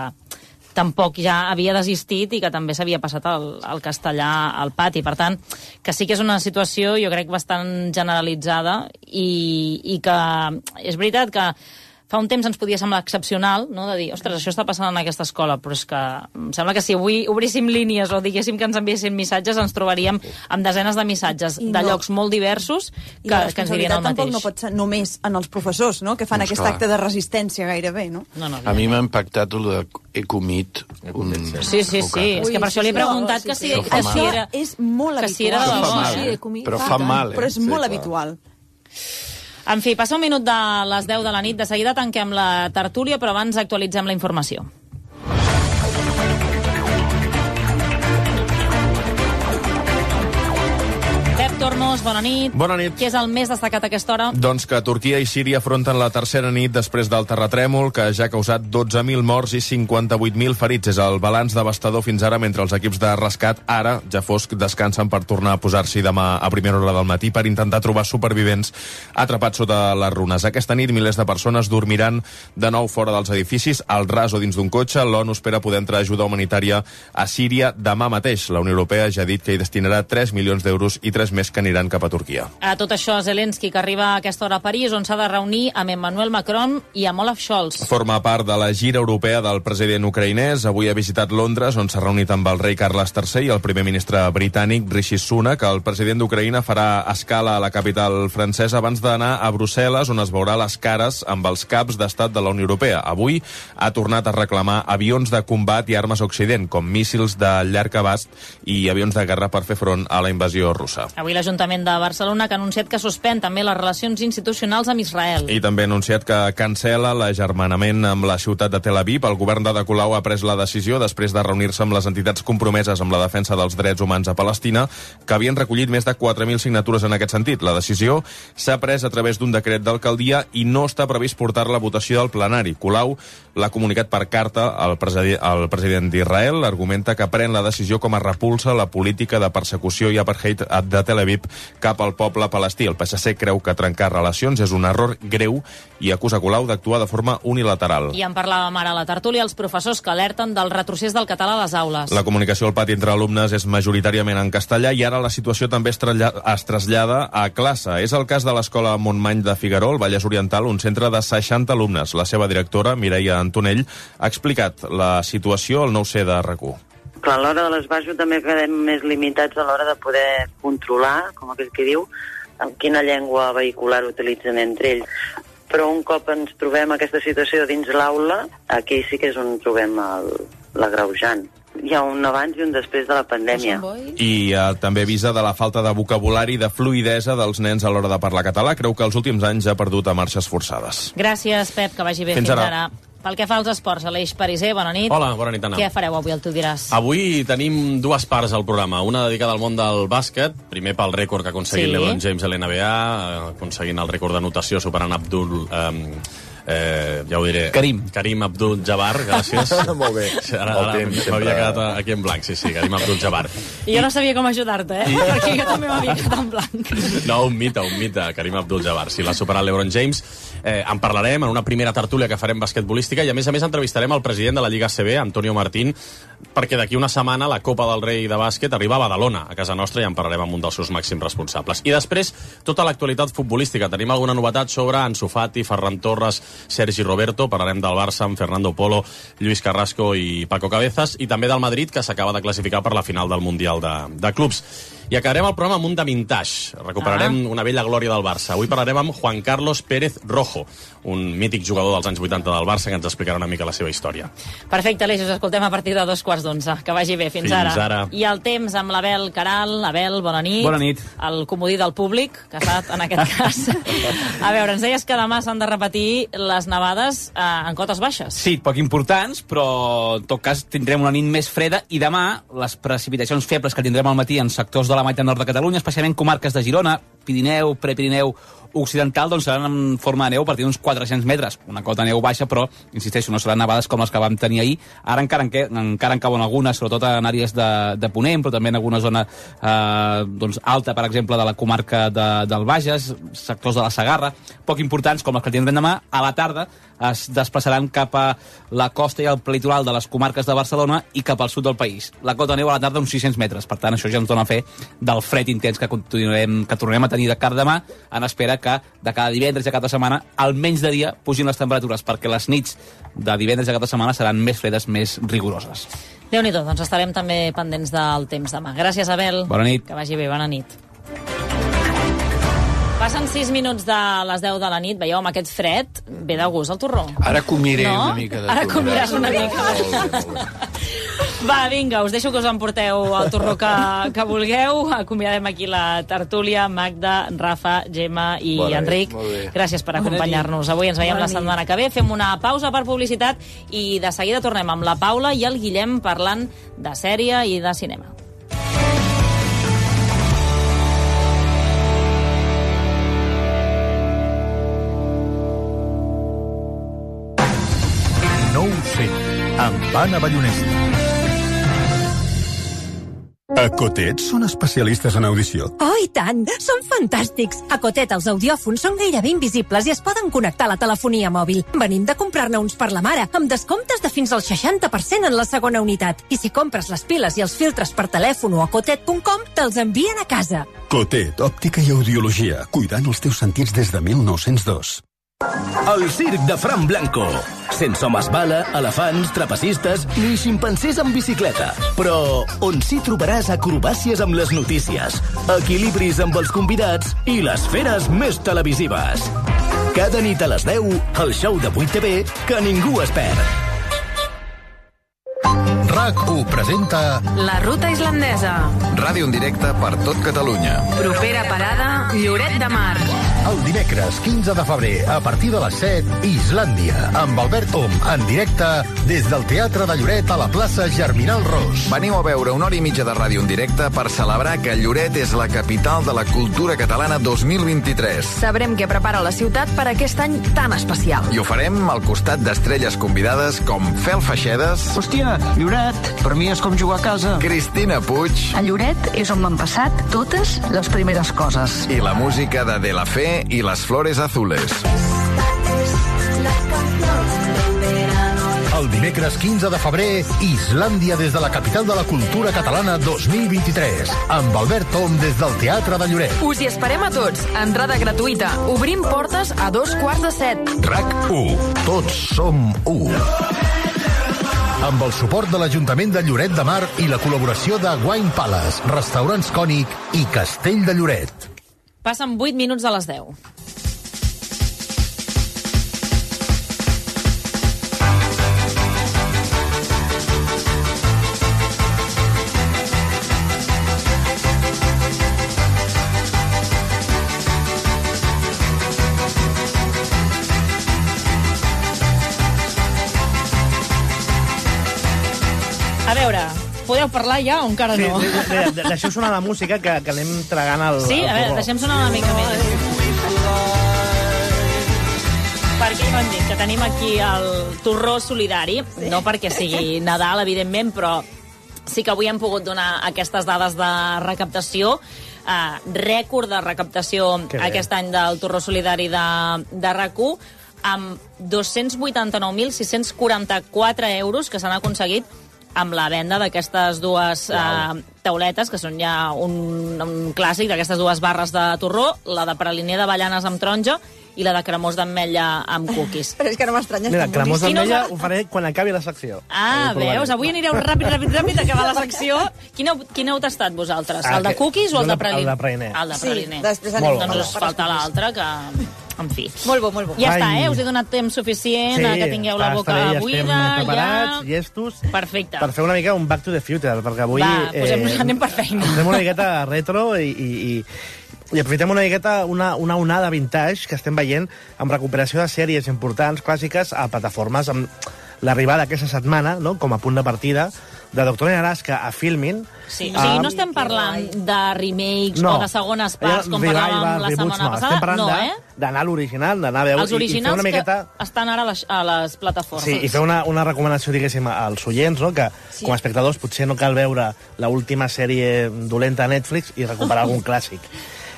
tampoc ja havia desistit i que també s'havia passat al, al castellà al pati. Per tant, que sí que és una situació, jo crec, bastant generalitzada i, i que és veritat que fa un temps ens podia semblar excepcional, no?, de dir, ostres, això està passant en aquesta escola, però és que em sembla que si avui obríssim línies o diguéssim que ens enviessin missatges, ens trobaríem amb desenes de missatges I de no. llocs molt diversos que, que ens dirien el mateix. Tampoc no pot ser només en els professors, no?, que fan Doncs aquest clar. acte de resistència gairebé, no? No, no, A mi m'ha impactat el de Ecomit. Un... Sí, sí, sí. És que per això li he preguntat que si, que si era... és molt que si era habitual. de Però fa debò, mal, eh? eh? Però fa mal, eh? Però és Sí, molt clar. habitual. En fi, passa un minut de les deu de la nit. De seguida tanquem la tertúlia, però abans actualitzem la informació. Pep Tormos, bona nit. Bona nit. Què és el més destacat a aquesta hora? Doncs que Turquia i Síria afronten la tercera nit després del terratrèmol, que ja ha causat dotze mil morts i cinquanta-vuit mil ferits. És el balanç devastador fins ara, mentre els equips de rescat, ara, ja fosc, descansen per tornar a posar-s'hi demà a primera hora del matí per intentar trobar supervivents atrapats sota les runes. Aquesta nit, milers de persones dormiran de nou fora dels edificis, al ras o dins d'un cotxe. L'ONU espera poder entrar ajuda humanitària a Síria demà mateix. La Unió Europea ja ha dit que hi destinarà tres milions d'euros i tres més que aniran cap a Turquia. A tot això, Zelensky, que arriba a aquesta hora a París, on s'ha de reunir amb Emmanuel Macron i amb Olaf Scholz. Forma part de la gira europea del president ucraïnès. Avui ha visitat Londres, on s'ha reunit amb el rei Carles tercer i el primer ministre britànic, Rishi Sunak. El president d'Ucraïna farà escala a la capital francesa abans d'anar a Brussel·les, on es veurà les cares amb els caps d'estat de la Unió Europea. Avui ha tornat a reclamar avions de combat i armes a Occident, com míssils de llarg abast i avions de guerra per fer front a la invasió russa. Avui l'Ajuntament de Barcelona que ha anunciat que suspèn també les relacions institucionals amb Israel. I també ha anunciat que cancela l'agermanament amb la ciutat de Tel Aviv. El govern de De Colau ha pres la decisió després de reunir-se amb les entitats compromeses amb la defensa dels drets humans a Palestina, que havien recollit més de quatre mil signatures en aquest sentit. La decisió s'ha pres a través d'un decret d'alcaldia i no està previst portar-la a votació del plenari. Colau l'ha comunicat per carta al, presidi al president d'Israel. Argumenta que pren la decisió com a repulsa a la política de persecució i apartheid de Tel Aviv cap al poble palestí. El P S C creu que trencar relacions és un error greu i acusa Colau d'actuar de forma unilateral. I en parlàvem ara a la tertúlia els professors que alerten del retrocés del català a les aules. La comunicació al pati entre alumnes és majoritàriament en castellà i ara la situació també es, es trasllada a classe. És el cas de l'escola Montmany de Figaró, al Vallès Oriental, un centre de seixanta alumnes. La seva directora, Mireia Antonell, ha explicat la situació al nou C de R A C U. Clar, a l'hora de l'esbarjo també quedem més limitats a l'hora de poder controlar, com aquell que diu, en quina llengua vehicular utilitzen entre ells. Però un cop ens trobem aquesta situació dins l'aula, aquí sí que és on trobem l'agreujant. Hi ha un abans i un després de la pandèmia. I eh, també avisa de la falta de vocabulari i de fluïdesa dels nens a l'hora de parlar català. Creu que els últims anys ha perdut a marxes forçades. Gràcies, Pep, que vagi bé fins, fins ara. ara. Pel que fa als esports, Aleix Pariser, bona nit. Hola, bona nit, Anna. Què fareu avui, el tu diràs? Avui tenim dues parts al programa. Una dedicada al món del bàsquet, primer pel rècord que ha aconseguit Sí. LeBron James a l'N B A, aconseguint el rècord d'anotació superant Abdul... Eh, Eh, ja ho diré. Karim. Karim Abdul-Jabbar, gràcies. Molt bé. Ara, ara m'havia quedat aquí en blanc, sí, sí, Karim Abdul-Jabbar. I jo no sabia com ajudar-te, eh? I... perquè jo també m'havia quedat en blanc. No, un mite, un mite, Karim Abdul-Jabbar. Si l'ha superat l'Ebron James, eh, en parlarem en una primera tertúlia que farem basquetbolística i, a més a més, entrevistarem el president de la Lliga A C B, Antonio Martín, perquè d'aquí una setmana la Copa del Rei de bàsquet arriba a Badalona, a casa nostra, i en parlarem amb un dels seus màxims responsables. I després, tota l'actualitat futbolística. Tenim alguna novetat sobre Ansu Fati, Ferran Torres, Sergi Roberto, parlarem del Barça amb Fernando Polo, Lluís Carrasco i Paco Cabezas, i també del Madrid, que s'acaba de classificar per la final del Mundial de, de Clubs. I acabarem el programa amb un de vintage. Recuperarem ah. una vella glòria del Barça. Avui parlarem amb Juan Carlos Pérez Rojo, un mític jugador dels anys vuitanta del Barça, que ens explicarà una mica la seva història. Perfecte, Aleix, us escoltem a partir de dos quarts d'onze. Que vagi bé, fins, fins ara. ara. I el temps amb l'Abel Caral. Abel, bona nit. Bona nit. El comodí del públic, que ha estat en aquest cas. A veure, ens deies que demà s'han de repetir les nevades eh, en cotes baixes. Sí, poc importants, però en tot cas tindrem una nit més freda i demà les precipitacions febles que tindrem al matí en sectors de la meitat nord de Catalunya, especialment comarques de Girona, Pirineu, Prepirineu, Occidental, doncs seran en forma de neu a partir d'uns quatre-cents metres. Una cota de neu baixa, però, insisteixo, no seran nevades com les que vam tenir ahir. Ara encara en, que, encara en cauen algunes, sobretot en àrees de, de Ponent, però també en alguna zona eh, doncs, alta, per exemple, de la comarca de, del Bages, sectors de la Segarra, poc importants, com les que tindrem demà. A la tarda es desplaçaran cap a la costa i el litoral de les comarques de Barcelona i cap al sud del país. La cota de neu a la tarda uns sis-cents metres. Per tant, això ja ens dona fe del fred intens que continuarem, que tornarem a tenir de cara demà, en espera que de cada divendres i cada setmana, almenys de dia, pugin les temperatures, perquè les nits de divendres i cada setmana seran més fredes, més rigoroses. Déu-n'hi-do, doncs estarem també pendents del temps demà. Gràcies, Abel. Bona nit. Que vagi bé, bona nit. Passen sis minuts de les deu de la nit. Veieu, amb aquest fred, ve de gust el torró. Ara comiré no? una mica de Ara torró. comiràs una mica. Molt bé, molt bé. Va, vinga, us deixo que us emporteu el torró que, que vulgueu. Acomiadem aquí la tertúlia. Magda, Rafa, Gemma i Bona Enric. nit, gràcies per acompanyar-nos. Avui ens veiem la setmana que ve. Fem una pausa per publicitat i de seguida tornem amb la Paula i el Guillem parlant de sèrie i de cinema. No ho sé, amb Anna Ballonesta. A Cotet són especialistes en audició. Oh, i tant! Són fantàstics! A Cotet els audiòfons són gairebé invisibles i es poden connectar a la telefonia mòbil. Venim de comprar-ne uns per la mare, amb descomptes de fins al seixanta per cent en la segona unitat. I si compres les piles i els filtres per telèfon o a cotet punt com, te'ls envien a casa. Cotet, òptica i audiologia, cuidant els teus sentits des de mil nou-cents dos. El circ de Fran Blanco. Sense homes bala, elefants, trapecistes ni ximpancers amb bicicleta. Però on sí trobaràs acrobàcies amb les notícies, equilibris amb els convidats i les feres més televisives. Cada nit a les deu, el show de vuit T V que ningú es perd. RAC u presenta La Ruta Islandesa. Ràdio en directe per tot Catalunya. Propera parada, Lloret de Mar. El dimecres quinze de febrer, a partir de les set, Islàndia, amb Albert Om, en directe des del Teatre de Lloret a la plaça Germinal Ros. Veniu a veure una hora i mitja de ràdio en directe per celebrar que Lloret és la capital de la cultura catalana dos mil vint-i-tres. Sabrem què prepara la ciutat per aquest any tan especial. I ho farem al costat d'estrelles convidades com Fel Feixedes... Hòstia, Lloret, per mi és com jugar a casa. Cristina Puig... A Lloret és on m'han passat totes les primeres coses. I la música de De La Fe i Les Flores Azules. El dimecres quinze de febrer, Islàndia des de la capital de la cultura catalana dos mil vint-i-tres, amb Albert Tom des del Teatre de Lloret. Us hi esperem a tots, entrada gratuïta. Obrim portes a dos quarts de set. RAC u, tots som u. Amb el suport de l'Ajuntament de Lloret de Mar i la col·laboració de Wine Palace, Restaurants Cònic i Castell de Lloret. Passen vuit minuts de les deu. A veure, podeu parlar ja o encara no? Sí, de, de, deixeu sonar la música que, que anem tragant el... Sí? el a veure, torró. deixem sonar una mica més. Perquè ja ho hem dit, que tenim aquí el torró solidari, sí. No perquè sigui Nadal, evidentment, però sí que avui hem pogut donar aquestes dades de recaptació. Uh, rècord de recaptació aquest any del torró solidari de, de R A C u, amb dos-cents vuitanta-nou mil sis-cents quaranta-quatre euros que s'han aconseguit amb la venda d'aquestes dues uh, tauletes, que són ja un, un clàssic d'aquestes dues barres de torró, la de praliner d'avellanes amb taronja i la de cremós d'ametlla amb cookies. Però és que no m'estranya. Mira, cremós d'ametlla ho faré quan acabi la secció. Ah, veus? Avui anireu ràpid, ràpid, ràpid a acabar la secció. Quin heu, quin heu tastat vosaltres? El de cookies o el de praliner? El de praliner. El de praliner. Sí, després anem. Doncs us falta l'altre, que... En fi. Molt bo, molt bo. Ja està, eh? Us he donat temps suficient a que tingueu la boca ja buida. Estem preparats, ja... llestos. Perfecte. Per fer una mica un Back to the Future, perquè avui... Va, posem-nos, eh, anem per feina. Anem una miqueta retro i... i, i I aprofitem una miqueta una, una onada vintage que estem veient amb recuperació de sèries importants, clàssiques, a plataformes, amb l'arribada aquesta setmana, no?, com a punt de partida, de Doctor en Alaska a Filmin. Sí, o sigui, no estem parlant de remakes no. o de segones parts, com parlàvem la setmana no. passada. Estem parlant no, de, eh? d'anar a l'original, d'anar a veure... Els originals i, i fer una miqueta... que estan ara a les, a les plataformes. Sí, i fer una, una recomanació, diguéssim, als oients, no?, que sí. Com a espectadors potser no cal veure l'última sèrie dolenta a Netflix i recuperar algun clàssic.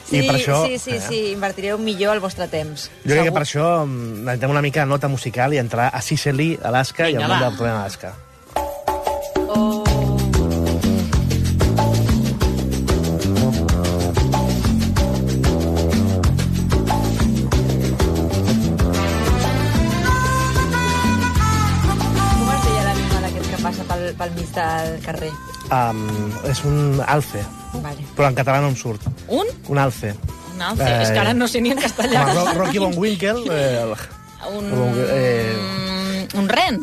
Sí, I per això, sí, sí, sí, invertireu millor el vostre temps. Jo crec que per això necessitem una mica de nota musical i entrar a Sicily, Alaska, Vinga, i al món de Doctor en Alaska. Oh. Com es deia l'animal aquest que passa pel, pel mig del carrer? Um, és un alce. Vale. Però en català no em surt. Un? Un alce. Un alce. Eh, és que ara no sé ni en castellà. Com a Rocky Von Winkle. Eh, un... Eh... Un ren?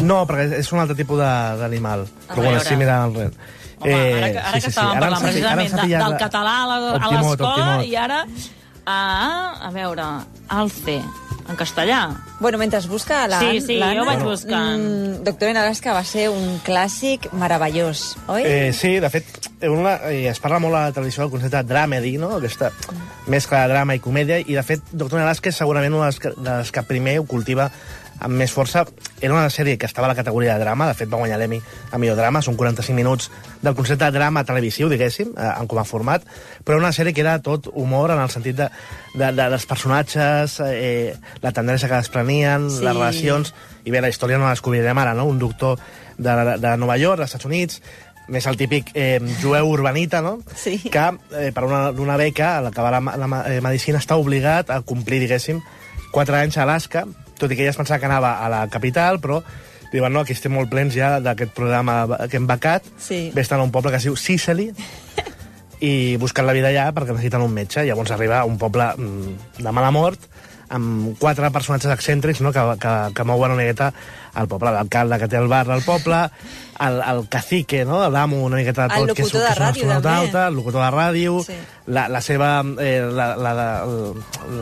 No, perquè és un altre tipus d'animal. Però bueno, sí, mira el ren. Home, eh, ara, ara sí, sí, que estàvem sí. parlant ara precisament de, del català a l'escola i ara... Ah, a veure, alce... En castellà? Bueno, mentre es busca l'Anna... Sí, sí, jo vaig buscant. Mm, Doctor en Alaska va ser un clàssic meravellós, oi? Eh, sí, de fet, una, eh, es parla molt a la televisió del concepte de dramedy, no?, aquesta mescla de drama i comèdia, i de fet, Doctor en Alaska és segurament una de les que, de les que primer ho cultiva amb més força. Era una sèrie que estava a la categoria de drama, de fet va guanyar l'Emmy a millor drama, són quaranta-cinc minuts del concepte de drama televisiu, diguéssim, eh, com a format, però una sèrie que era tot humor en el sentit de, de, de dels personatges, eh, la tendresa que desprenien, sí. Les relacions, i bé, la història no la descobrirem ara, no?, un doctor de, de Nova York, dels Estats Units, més el típic eh, jueu urbanita, no?, sí. que eh, per una, una beca, a l'acabar la, la, la medicina, està obligat a complir, diguéssim, quatre anys a Alaska, tot i que ella es pensava que anava a la capital, però diuen, no, aquí estem molt plens ja d'aquest programa que hem becat, sí. Ves-te'n a un poble que es diu Sicily, i busquen la vida allà perquè necessiten un metge. Llavors arriba a un poble de mala mort, amb quatre personatges excèntrics, no?, que, que, que mouen una miqueta al poble. L'alcalde que té el bar del poble, el, el cacique, no?, l'amo una miqueta de tot, el que és, locutor de ràdio, també. Alta, el locutor de ràdio, sí. la, la seva... Eh, la, la, la,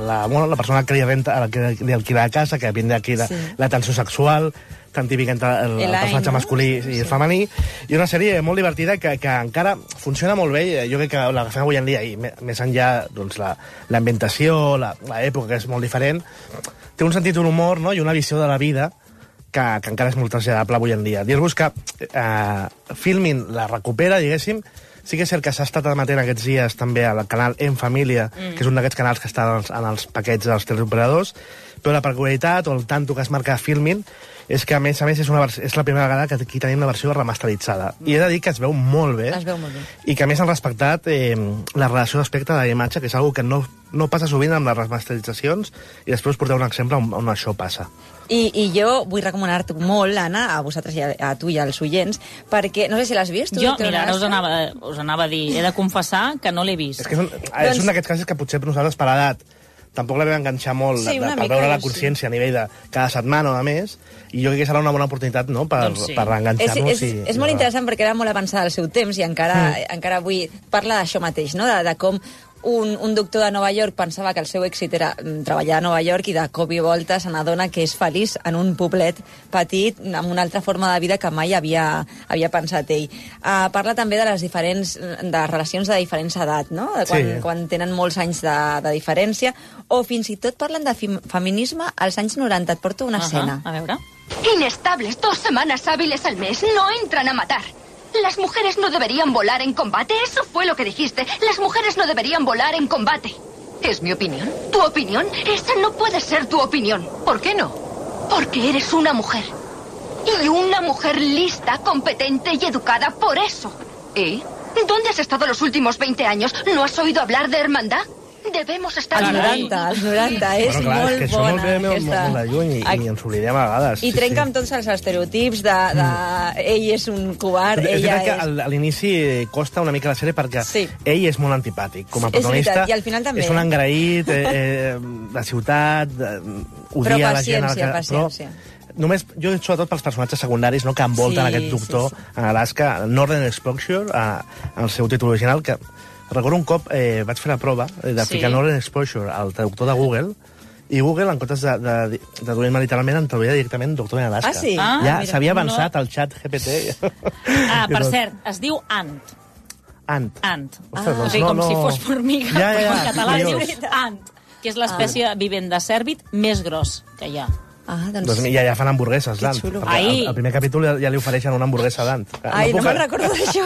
la, bueno, la persona que li renta, que li alquila la casa, que vindrà aquí sí. L'atenció sexual, tan típic entre el, el, el personatge no? masculí i sí. el femení, i una sèrie molt divertida que, que encara funciona molt bé. Jo crec que l'agafem avui en dia, i més enllà, doncs, l'ambientació, l'època, que és molt diferent, té un sentit d'un humor, no?, i una visió de la vida que, que encara és molt traslladable avui en dia. Dir-vos que eh, Filmin la recupera, diguéssim. Sí que és cert que s'ha estat emetent aquests dies també al canal En Família, mm. que és un d'aquests canals que està en els, en els paquets dels teleoperadors, però la peculiaritat o el tanto que es marca Filmin és que, a més a més, és, una és la primera vegada que aquí tenim la versió remasteritzada. I he de dir que es veu molt bé. Es veu molt bé. I que, a més, han respectat eh, la relació d'aspecte de la imatge, que és una que no, no passa sovint amb les remasteritzacions, i després us porteu un exemple on, on això passa. I, I jo vull recomanar-te molt, Anna, a vosaltres i a, a tu i als oients, perquè, no sé si l'has vist. Tu, jo, mira, ara us anava, us anava a dir, he de confessar que no l'he vist. És que és un, doncs... és un d'aquests casos que potser per nosaltres, per edat, tampoc la vam enganxar molt, sí, de, de, per veure la consciència sí. a nivell de cada setmana o a més, i jo crec que serà una bona oportunitat, no?, per, doncs sí. per enganxar-nos. És, és, i, és molt i interessant perquè era molt avançada al seu temps i encara, mm. encara avui parla d'això mateix, no?, de, de com un, un doctor de Nova York pensava que el seu èxit era treballar a Nova York i de cop i volta se n'adona que és feliç en un poblet petit amb una altra forma de vida que mai havia, havia pensat ell. Uh, parla també de les diferents de relacions de diferents edat, no? De quan, sí. quan tenen molts anys de, de diferència, o fins i tot parlen de feminisme als anys noranta. Et porto una uh -huh. escena. A veure. Inestables, dos semanas hábiles al mes, no entran a matar. Las mujeres no deberían volar en combate, eso fue lo que dijiste. Las mujeres no deberían volar en combate. ¿Es mi opinión? ¿Tu opinión? Esa no puede ser tu opinión. ¿Por qué no? Porque eres una mujer. Y una mujer lista, competente y educada por eso. ¿Y? ¿Dónde has estado los últimos veinte años? ¿No has oído hablar de hermandad? Debemos estar... Els noranta, els noranta, és bueno, clar, molt és que bona. Això molt, bé, aquesta... molt de lluny i, i ens oblidem a vegades. I sí, trenca sí. amb tots els estereotips de, de mm. ell és un covard, és ella és... és... A l'inici costa una mica la sèrie perquè sí. ell és molt antipàtic. Com a sí, protagonista i al final també. És un engraït, eh, eh, de ciutat, eh, odia la gent... Però paciència, paciència. Només, jo sobretot pels personatges secundaris no, que envolten sí, aquest doctor sí, sí. a Alaska, Northern Exposure, a, en el seu títol original, que recordo un cop eh, vaig fer la prova de ficar sí. Northern Exposure al traductor de Google, i Google, en comptes de, de, de traduir-me literalment, em traduïa directament Doctor en Alaska. Ah, sí? Ja Ah, s'havia avançat no. al xat G P T. Ah, per cert, es diu Ant. Ant. Ant. Ostres, Ah. doncs O sigui, no, com no... si fos formiga, ja, ja, però ja, en català es diu curiós. Ant, que és l'espècie ah. vivent de cèrvid més gros que hi ha. Ah, doncs... doncs ja, ja fan hamburgueses d'Ant. Ai. Al, al primer capítol ja, ja li ofereixen una hamburguesa d'Ant. Ai, no, no me'n a... recordo d'això.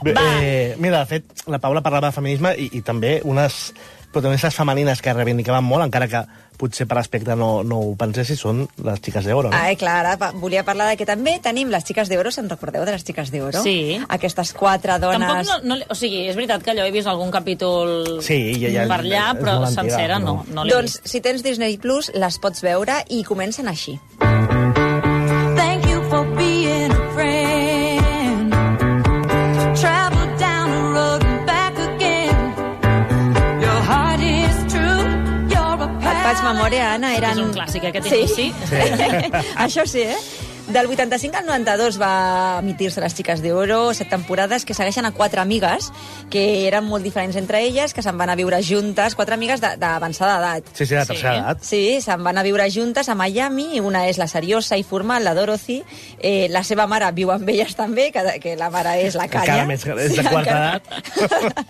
Bé, eh, mira, de fet, la Paula parlava de feminisme i, i també unes protagonistes femenines que reivindicaven molt, encara que potser per aspecte no, no ho pensessi, són les xiques d'Oro. No? Ai, clar, ara volia parlar de que també tenim les xiques d'Oro. Se'n recordeu de les xiques d'Oro? Sí. Aquestes quatre dones... Tampoc no, no... O sigui, és veritat que allò he vist algun capítol sí, ja, ja, per allà, però antiga, sencera no, no l'he doncs, vist. si tens Disney Plus, les pots veure i comencen així. Thank you for being a friend. Travel down the road and back again. Your heart is true. You're a Et faig memòria, Anna, eren... És un clàssic, aquest sí? inici. Sí. Això sí, eh? Del vuitanta-cinc al noranta-dos va emitir-se Les xiques d'Oro, set temporades que segueixen a quatre amigues que eren molt diferents entre elles, que se'n van a viure juntes, quatre amigues d'avançada edat. Sí, sí, de tercera sí. edat. Sí, se'n van a viure juntes a Miami, una és la seriosa i formal, la Dorothy, eh, la seva mare viu amb elles també, que, que la mare és la Canya. Encara més, és de quarta edat.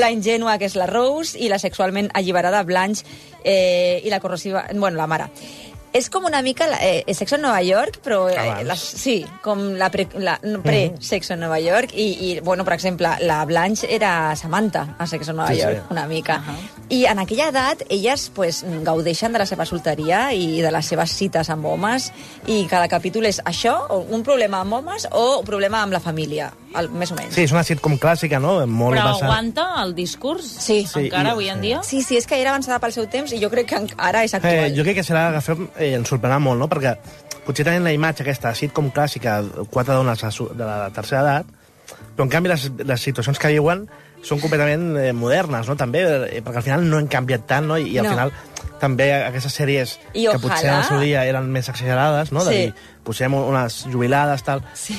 La ingènua, que és la Rose, i la sexualment alliberada Blanche, eh, i la corrosiva... Bueno, la mare. És com una mica eh, Sexo en Nova York, però eh, la, sí, com la pre-Sexo la, no, pre en Nova York, i, i, bueno, per exemple, la Blanche era Samantha a Sexo en Nova sí, York, sí. una mica. Uh -huh. I en aquella edat, elles pues, gaudeixen de la seva solteria i de les seves cites amb homes, i cada capítol és això, o un problema amb homes o un problema amb la família, el, més o menys. Sí, és una sitcom clàssica, no? Molt Però basat... aguanta el discurs? Sí. Encara sí, avui en sí. dia? Sí, sí, és que era avançada pel seu temps i jo crec que ara és actual. Eh, jo crec que serà agafem, eh, ens sorprendrà molt, no? Perquè potser tenen la imatge aquesta sitcom clàssica, quatre dones de la tercera edat, però en canvi les, les situacions que viuen són completament eh, modernes, no? També, eh, perquè al final no han canviat tant, no? I, i al No. final també aquestes sèries I que ojalà... potser en el seu dia eren més exagerades, no? De Sí. dir, posem unes jubilades, tal... Sí.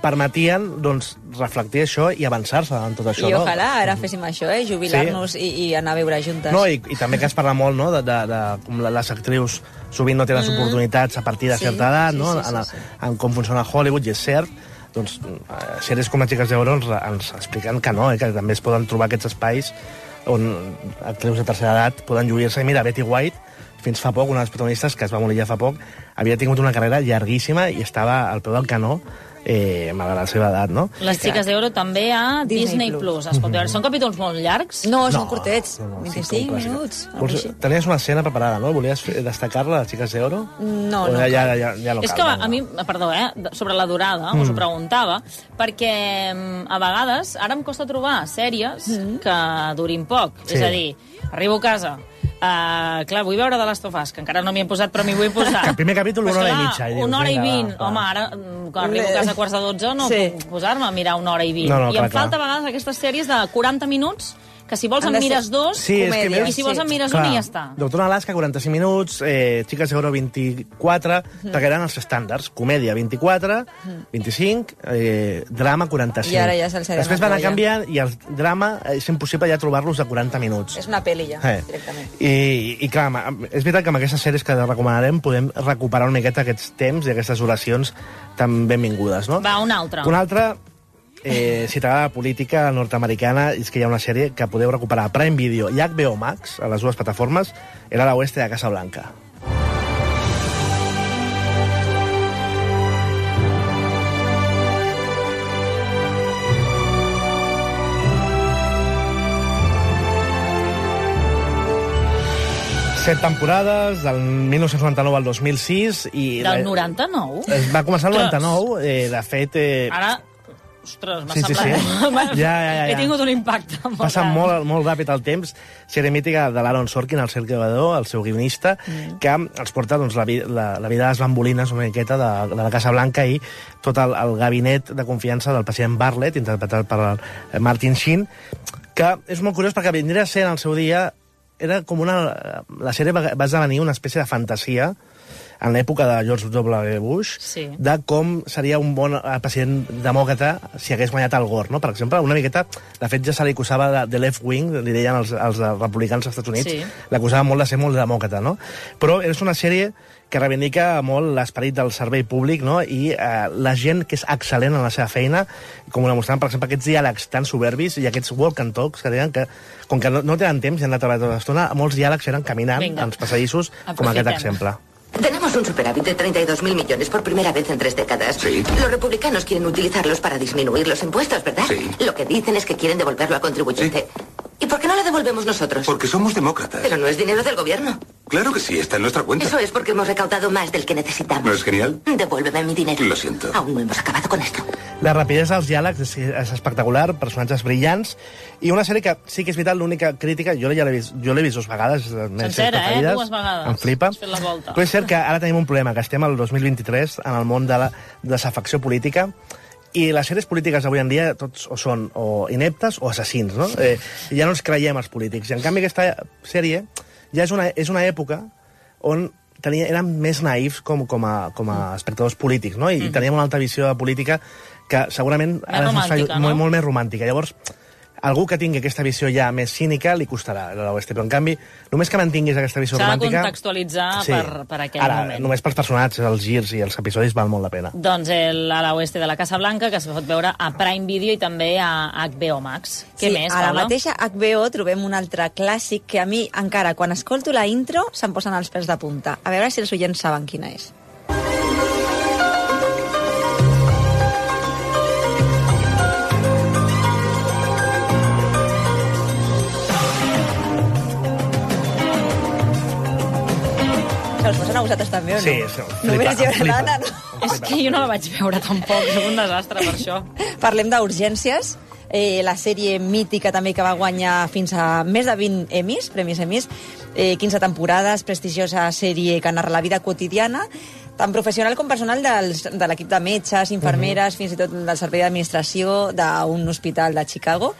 permetien doncs, reflectir això i avançar-se en tot això. I no? ojalà ara féssim això, eh? Jubilar-nos sí. i, i anar a viure juntes. No, i, i també que es parla molt, no?, de, de, de com les actrius sovint no tenen les Mm. oportunitats a partir de Sí, certa edat, sí, no?, sí, sí, en, sí. en com funciona Hollywood, i és cert, doncs, eh, sèries com Les xiques d'Oro ens, ens expliquen que no, eh, que també es poden trobar aquests espais on actrius de tercera edat poden lluir-se. I mira, Betty White, fins fa poc, una de les protagonistes, que es va morir ja fa poc, havia tingut una carrera llarguíssima i estava al peu del canó, eh, malgrat la seva edat, no? Les xiques d'Oro també a Disney, Disney Plus. Plus. Es pot veure. Són capítols molt llargs? No, No, són curtets. no, no, sí, vint-i-cinc com clàssica. minuts. Vols, tenies una escena preparada, no? Volies fer- destacar-la, les xiques d'Oro? No, O no. ja, ja, ja, ja no És cal, que no, no. a mi, perdó, eh, sobre la durada, mm. us ho preguntava, perquè mm, a vegades ara em costa trobar sèries mm. que durin poc. Sí. És a dir, arribo a casa, Uh, clar, vull veure de Last of Us, que encara no m'hi he posat, però m'hi vull posar. Que el primer capítol Pues una hora clar, i mitja. I dius, una hora i vinga, vint. va, va. Home, ara, mm, quan arribo a casa a quarts de dotze, no Sí. puc posar-me a mirar una hora i vint. No, no, I clar, em clar. falta a vegades aquestes sèries de quaranta minuts que si vols en mires dos, Sí, és que i si vols en mires un i ja està. Doctor Alaska, quaranta-cinc minuts, eh, Chicas de Oro, vint-i-quatre, Mm. perquè eren els estàndards. Comèdia, vint-i-quatre, vint-i-cinc, eh, drama, quaranta-cinc. I ara ja se'ls ha de Després van anar anar canviant, i el drama és impossible ja trobar-los de quaranta minuts. És una pel·li ja, Eh. directament. I, i clar, amb- és veritat que amb aquestes sèries que recomanarem podem recuperar una miqueta aquests temps i aquestes oracions tan benvingudes, no? Va, una altra. Una altra, eh, si t'agrada la política nord-americana, és que hi ha una sèrie que podeu recuperar a Prime Video i H B O Max, a les dues plataformes, era la oeste de Casa Blanca. Set temporades, del mil nou-cents noranta-nou al dos mil sis. I Del noranta-nou? Es va començar el Ostres. noranta-nou, eh, de fet... Eh, Ara, ostres, m'ha Sí, sí, semblat... sí. Ja, ja, ja, He ja. tingut un impacte molt Passa gran. molt, molt ràpid el temps. Sèrie mítica de l'Aaron Sorkin, el seu creador, el seu guionista, mm. que ens porta doncs, la, vi- la, la vida de les bambolines una miqueta de, de la Casa Blanca i tot el, el gabinet de confiança del president Bartlett, interpretat per el Martin Sheen, que és molt curiós perquè vindria a ser en el seu dia era com una... La sèrie va, va esdevenir una espècie de fantasia en l'època de George W. Bush, Sí. de com seria un bon eh, president demòcrata si hagués guanyat el Gore, no? Per exemple, una miqueta, de fet ja se li acusava de, de left wing, li deien els, els republicans als Estats Units, Sí. l'acusava molt de ser molt demòcrata, no? Però és una sèrie que reivindica molt l'esperit del servei públic, no? I eh, la gent que és excel·lent en la seva feina, com ho demostraven, per exemple, aquests diàlegs tan soberbis i aquests walk and talks que deien que, com que no, no tenen temps i han de treballar tota l'estona, molts diàlegs eren caminant Vinga. als passadissos, com aquest Aprofitem. exemple. Tenemos un superávit de treinta y dos mil millones por primera vez en tres décadas. Sí. Los republicanos quieren utilizarlos para disminuir los impuestos, ¿verdad? Sí. Lo que dicen es que quieren devolverlo al contribuyente. ¿Y por qué no lo devolvemos nosotros? Porque somos demócratas. Pero no es dinero del gobierno. Claro que sí, está en nuestra cuenta. Eso es porque hemos recaudado más del que necesitamos. ¿No es genial? Devuélveme mi dinero. Lo siento. Aún no hemos acabado con esto. La rapidesa dels diàlegs és, és espectacular, personatges brillants, i una sèrie que sí que és veritat, l'única crítica, jo ja l'he vist, jo l'he vist dues vegades, les meves Sencera, eh? preferides, Dues vegades. em flipa. Has fet la volta. Però és cert que ara tenim un problema, que estem al dos mil vint-i-tres en el món de la desafecció política, i les sèries polítiques avui en dia tots o són o ineptes o assassins, no? Eh, ja no ens creiem els polítics. I en canvi aquesta sèrie ja és una, és una època on tenia, érem més naïfs com, com, a, com a espectadors polítics, no? I mm. teníem una altra visió de política que segurament Més romàntica, fa, no? molt, molt més romàntica. Llavors, algú que tingui aquesta visió ja més cínica li costarà l'oeste, però en canvi, només que mantinguis aquesta visió S'ha de romàntica... contextualitzar per, per aquell Ara, moment. només pels personatges, els girs i els episodis val molt la pena. Doncs el a l'oeste de la Casa Blanca, que es pot veure a Prime Video i també a H B O Max. Què Sí, més, a la Paula? mateixa H B O trobem un altre clàssic que a mi, encara, quan escolto la intro, se'm posen els pèls de punta. A veure si els oients saben quina és. Se us posen a vosaltres també, o no? Sí, sí, Només flipa, hi haurà flipa. l'Anna, no? És que jo no la vaig veure tampoc, soc un desastre per això. Parlem d'Urgències, eh, la sèrie mítica també que va guanyar fins a més de vint Emmys, premis Emmys, eh, quinze temporades, prestigiosa sèrie que narra la vida quotidiana, tant professional com personal dels, de l'equip de metges, infermeres, uh -huh. fins i tot del servei d'administració d'un hospital de Chicago.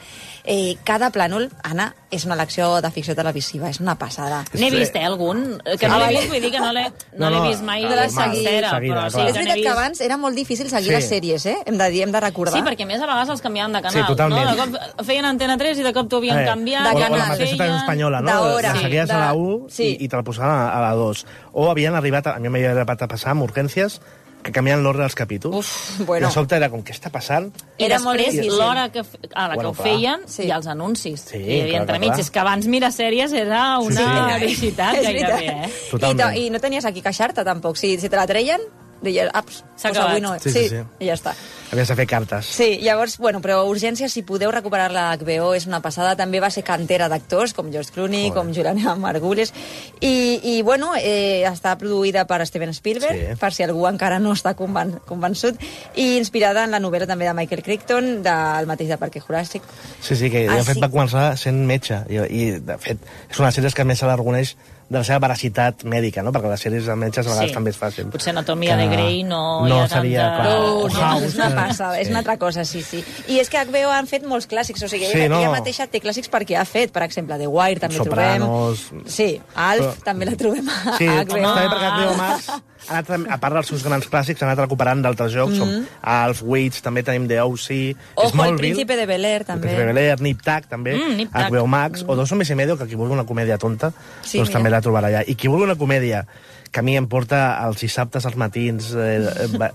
Eh, cada plànol, Anna, és una lecció de ficció televisiva, és una passada. N'he vist, eh, algun? Que no l'he vist, vull dir que no l'he no, No, no, l'he vist mai de de la la sencera, seguida, però sí és que n'he veritat vist. que abans era molt difícil seguir Sí. les sèries, eh? Hem de dir, hem de recordar. Sí, perquè a més a vegades els canviaven de canal. Sí, totalment. No? De cop feien Antena tres i de cop t'ho havien Eh, canviat. o, de o la canal. mateixa televisió espanyola, no? d'hora. La seguies Sí, a la de- u sí. i, i te la posaven a, a la dos. O havien arribat, a, a mi m'havia arribat a passar amb Urgències, que canvien l'ordre dels capítols. Uf, bueno. I de sobte era com, què està passant? I Era molt després, difícil. l'hora que, fe- a la Bueno, que ho clar. feien, sí. i els anuncis. Sí, I hi havia clar, entremig. clar. És que abans mirar sèries era una Sí, sí. felicitat És gairebé, veritat. eh? I, Totalment. to, I no tenies aquí queixar-te, tampoc. Si, si te la treien, deies, aps, S'ha pues acabat. avui no. Sí, sí, sí. I ja està. Havies de fer cartes. Sí, llavors, bueno, però Urgències, si podeu recuperar-la a H B O, és una passada. També va ser cantera d'actors, com George Clooney, Joder. com Juliana Margulis. I, i bueno, eh, està produïda per Steven Spielberg, Sí. per si algú encara no està conven convençut, i inspirada en la novel·la també de Michael Crichton, del mateix de Parque Juràssic. Sí, sí, que Ah, de fet sí. va començar sent metge i, i de fet és una de les sèries que més se la reconeix de la seva veracitat mèdica, no? Perquè les sèries de metges a vegades Sí. també és fàcil. Potser Anatomia que de Grey no, no hi ha seria, tanta... clar, No, o no, House, és una que- passa, és sí. una altra cosa, sí, sí. I és que H B O han fet molts clàssics, o sigui, Sí, ella, no. ella mateixa té clàssics perquè ha fet, per exemple, The Wire també Sopranos. trobem. Sí, Alf Però- també la trobem a Sí, H B O. també perquè H B O Max, ha anat, a part dels seus grans clàssics, ha anat recuperant d'altres jocs, Mhm. com Alf, Weeds, també tenim The O C, Ojo, el Smallville, Príncipe de Bel-Air, El també. Príncipe de Bel-Air, Nip Tuck, també, Mm, Nip Tuck. H B O Max, o Dos hombres y medio, que qui vulgui una comèdia tonta, Sí, doncs mira. també la trobarà allà. I qui vulgui una comèdia que a mi em porta els dissabtes als matins eh, eh, va-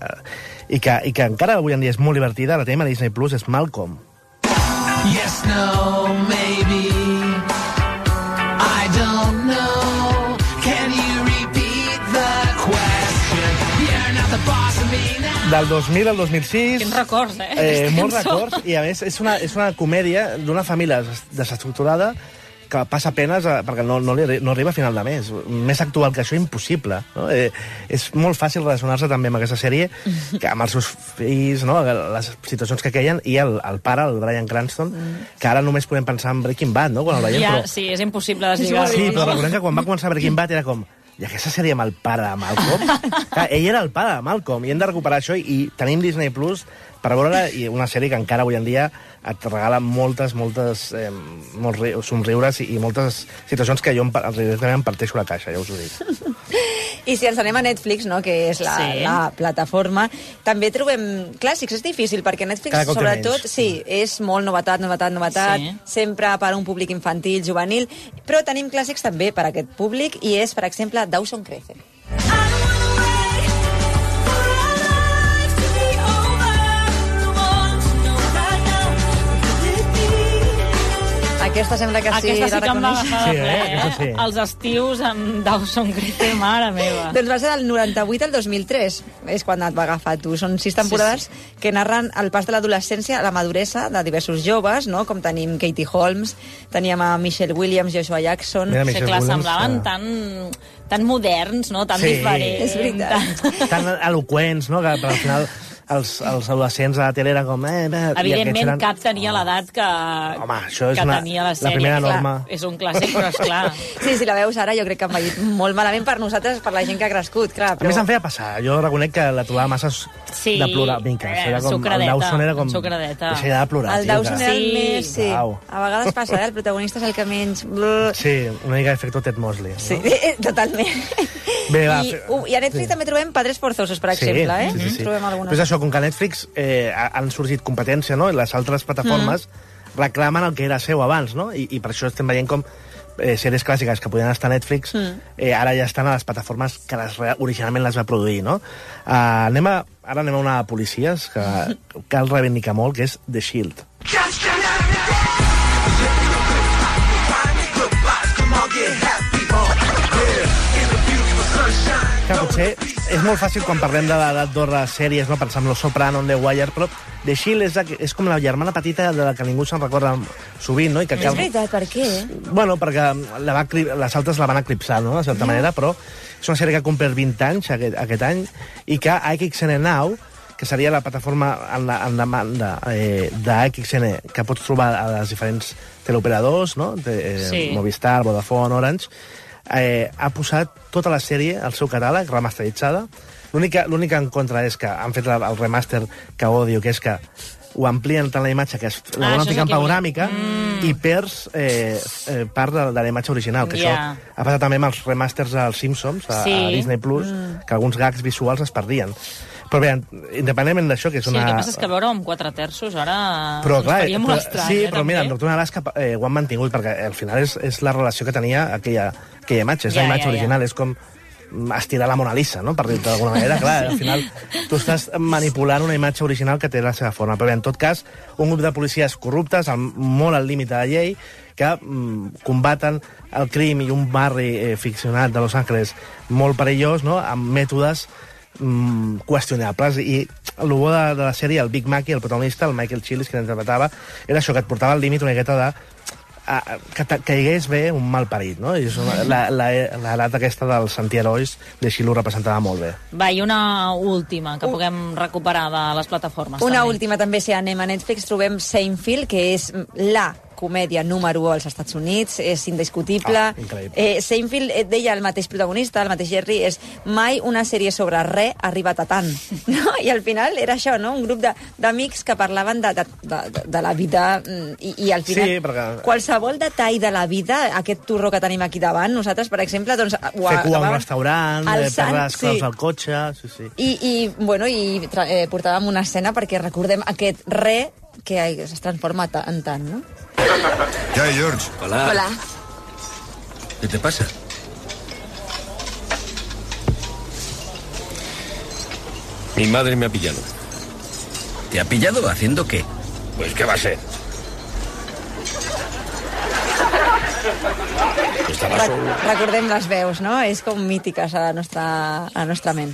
i, que, i que encara avui en dia és molt divertida, la tenim a Disney Plus, és Malcolm. Yes, no, maybe. I don't know. Can you repeat the question? You're not the boss of me now. Del dos mil al dos mil sis... Quins records, eh? Eh, aquesta molts cançó. records, i a més és una, és una comèdia d'una família des- desestructurada que passa penes a, perquè no, no, li, arri- no arriba a final de mes. Més actual que això, impossible. No? Eh, és molt fàcil relacionar-se també amb aquesta sèrie, que amb els seus fills, no? Les situacions que queien, i el, el pare, el Bryan Cranston, que ara només podem pensar en Breaking Bad, no? Quan el veiem, Ja, però... sí, és impossible deslligar-ho. Sí, però no? recordem que quan va començar Breaking Bad era com... I aquesta sèrie amb el pare de Malcolm? Clar, ell era el pare de Malcolm, i hem de recuperar això, i, i tenim Disney Plus per veure i una sèrie que encara avui en dia et regala moltes, moltes eh, molts ri- somriures i, i moltes situacions que jo em, pa- realment em parteixo la caixa, ja us ho dic. I si ens anem a Netflix, no, que és la, Sí. la plataforma, també trobem clàssics. És difícil, perquè Netflix, Cada cop té sobretot, menys. sí, és molt novetat, novetat, novetat, Sí. sempre per a un públic infantil, juvenil, però tenim clàssics també per a aquest públic, i és, per exemple, Dawson Creek. Aquesta sembla que sí, Aquesta sí la que em va reconeix. agafar Sí, de eh? ple, Aquesta sí. Els estius amb Dawson Creek, mare meva. Doncs va ser del noranta-vuit al dos mil tres, és quan et va agafar tu. Són sis temporades sí, sí. que narren el pas de l'adolescència a la maduresa de diversos joves, no? Com tenim Katie Holmes, teníem a Michelle Williams, Joshua Jackson... Mira, Sí, Michelle clar, Williams, semblaven que- tan, tan moderns, no? Tan Sí. diferents. És veritat. Tan eloqüents, no? Que al final els, els adolescents a la tele eren com... Eh, eh, Evidentment, eren... cap tenia l'edat que, Home, això és que una- tenia la la sèrie. primera Clar, norma. És un clàssic, però esclar. Sí, si la veus ara, jo crec que ha envellit molt malament per nosaltres, per la gent que ha crescut, clar. A més, em feia passar. Jo reconec que la trobava massa Sí, de plorar. Vinga, eh, era com, el sucradeta, Dawson era com... sucradeta. Deixa ja de plorar, El tio, Dawson que- era el Sí. més... Sí. Au. A vegades passa, eh? El protagonista és el que menys... Brr. Sí, una mica efecto Ted Mosley. Sí, No? eh, totalment. Bé, va, I, fe- uh, I a Netflix sí. també trobem Padres Forzosos, per exemple, eh? Sí, sí, sí. Trobem Però és algunes. això, com que a Netflix eh, ha- han sorgit competència, no? I les altres plataformes Mm. reclamen el que era seu abans, no? I, i per això estem veient com eh, sèries clàssiques que podien estar a Netflix Mm. eh, ara ja estan a les plataformes que les, re- originalment les va produir, no? Uh, anem a, ara anem a una de policies que cal reivindicar molt, que és The Shield. Que potser és molt fàcil quan parlem de l'edat d'or de sèries, no? Pensar en Los Soprano, en The Wire, però The Shield és, la, que- és com la germana petita de la que ningú se'n recorda sovint, no? I que És veritat, per què? Bueno, perquè la va, eclip- les altres la van eclipsar, no?, de certa Ja. manera, però és una sèrie que ha complert vint anys aquest, aquest any i que A X N Now, que seria la plataforma en, la, en demanda eh, d'A X N que pots trobar a les diferents teleoperadors, no?, de, eh, Sí. Movistar, Vodafone, Orange, eh, ha posat tota la sèrie al seu catàleg, remasteritzada. L'única l'únic en contra és que han fet la, el remaster que odio, que és que ho amplien tant la imatge, que és, la Ah, volen això és ficar en el que volia. panoràmica, Mm. i perds eh, eh, part de, de la imatge original, que Ja. això ha passat també amb els remasters dels Simpsons a, Sí. a Disney Plus, Mm. que alguns gags visuals es perdien. Però bé, independentment d'això, que és Sí, una... el que passa és que veure amb quatre terços ara Però, ens clar, faria molt però, estrany, sí, eh, però mira, en també. Doctor Alaska eh, ho han mantingut, perquè al final és, és la relació que tenia aquella, aquella imatge, és Ja, la imatge ja, ja. original, és com estirar la Mona Lisa, no?, per dir-ho d'alguna manera. Clar, al final tu estàs manipulant una imatge original que té la seva forma. Però bé, en tot cas, un grup de policies corruptes, amb, molt al límit de la llei, que mm, combaten el crim i un barri eh, ficcionat de Los Angeles molt perillós, no?, amb mètodes mm, qüestionables. I el bo de, de la sèrie, el Big Mackie, el protagonista, el Michael Chilis, que l'interpretava, era això, que et portava al límit una miqueta de a, a, que te- caigués bé un mal parit, no? I és una, la, la, l'edat aquesta dels antiherois de Shield ho representava molt bé. Va, i una última que puguem recuperar de les plataformes. Una també. última també, si anem a Netflix, trobem Seinfeld, que és la comèdia número u als Estats Units, és indiscutible. Ah, increïble. eh, Seinfeld eh, deia el mateix protagonista, el mateix Jerry, és mai una sèrie sobre res ha arribat a tant. No? I al final era això, no? Un grup de- d'amics que parlaven de, de, de, de la vida mm, i, i al final Sí, perquè- qualsevol detall de la vida, aquest turró que tenim aquí davant, nosaltres, per exemple, doncs, ho Fer cua a un acabàvem restaurant, eh, alçant, perdre les claus sí. al cotxe... Sí, sí. I, i, bueno, i tra- eh, portàvem una escena perquè recordem aquest re que es transforma ta- en tant, no? ¿Qué hay, George? Hola. Hola. ¿Qué te pasa? Mi madre me ha pillado. ¿Te ha pillado haciendo qué? Pues, ¿qué va a ser? Estaba Re solo. recordem les veus, no? És com mítiques a la nostra, a la nostra ment.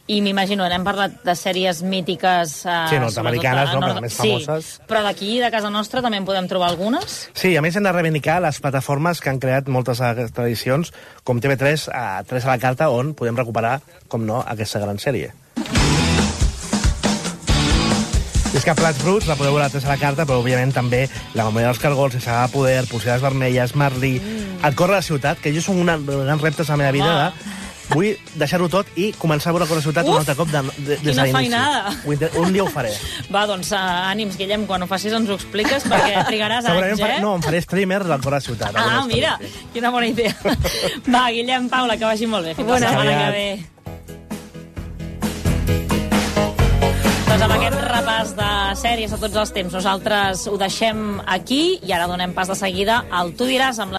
I m'imagino, n'hem parlat de sèries mítiques... Eh, Sí, nord-americanes, sobretot, no? eh, Però més sí, famoses. però d'aquí, de casa nostra, també en podem trobar algunes? Sí, a més hem de reivindicar les plataformes que han creat moltes d'aquestes edicions, com T V tres, a tres a la carta, on podem recuperar, com no, aquesta gran sèrie. I és que a Plats Bruts la podeu veure a tres a la carta, però òbviament també La memòria dels cargols, Saga de poder, Polseres vermelles, Marlí, mm. El cor de la ciutat, que jo són una, grans reptes a la meva vida de... Vull deixar-ho tot i començar a veure Cor de la ciutat Uf! un altre cop de, de, des Quina de l'inici. feinada! Ho inter- Un dia ho faré. Va, doncs, uh, ànims, Guillem, quan ho facis ens ho expliques, perquè trigaràs Segurament anys, faré, eh? no, em faré streamer del Cor de la ciutat. Ah, alguna mira, història. quina bona idea. Va, Guillem, Paula, que vagi molt bé. Fins Bona la setmana nit. que ve. Doncs amb aquest repàs de sèries a tots els temps, nosaltres ho deixem aquí i ara donem pas de seguida al Tu diràs amb la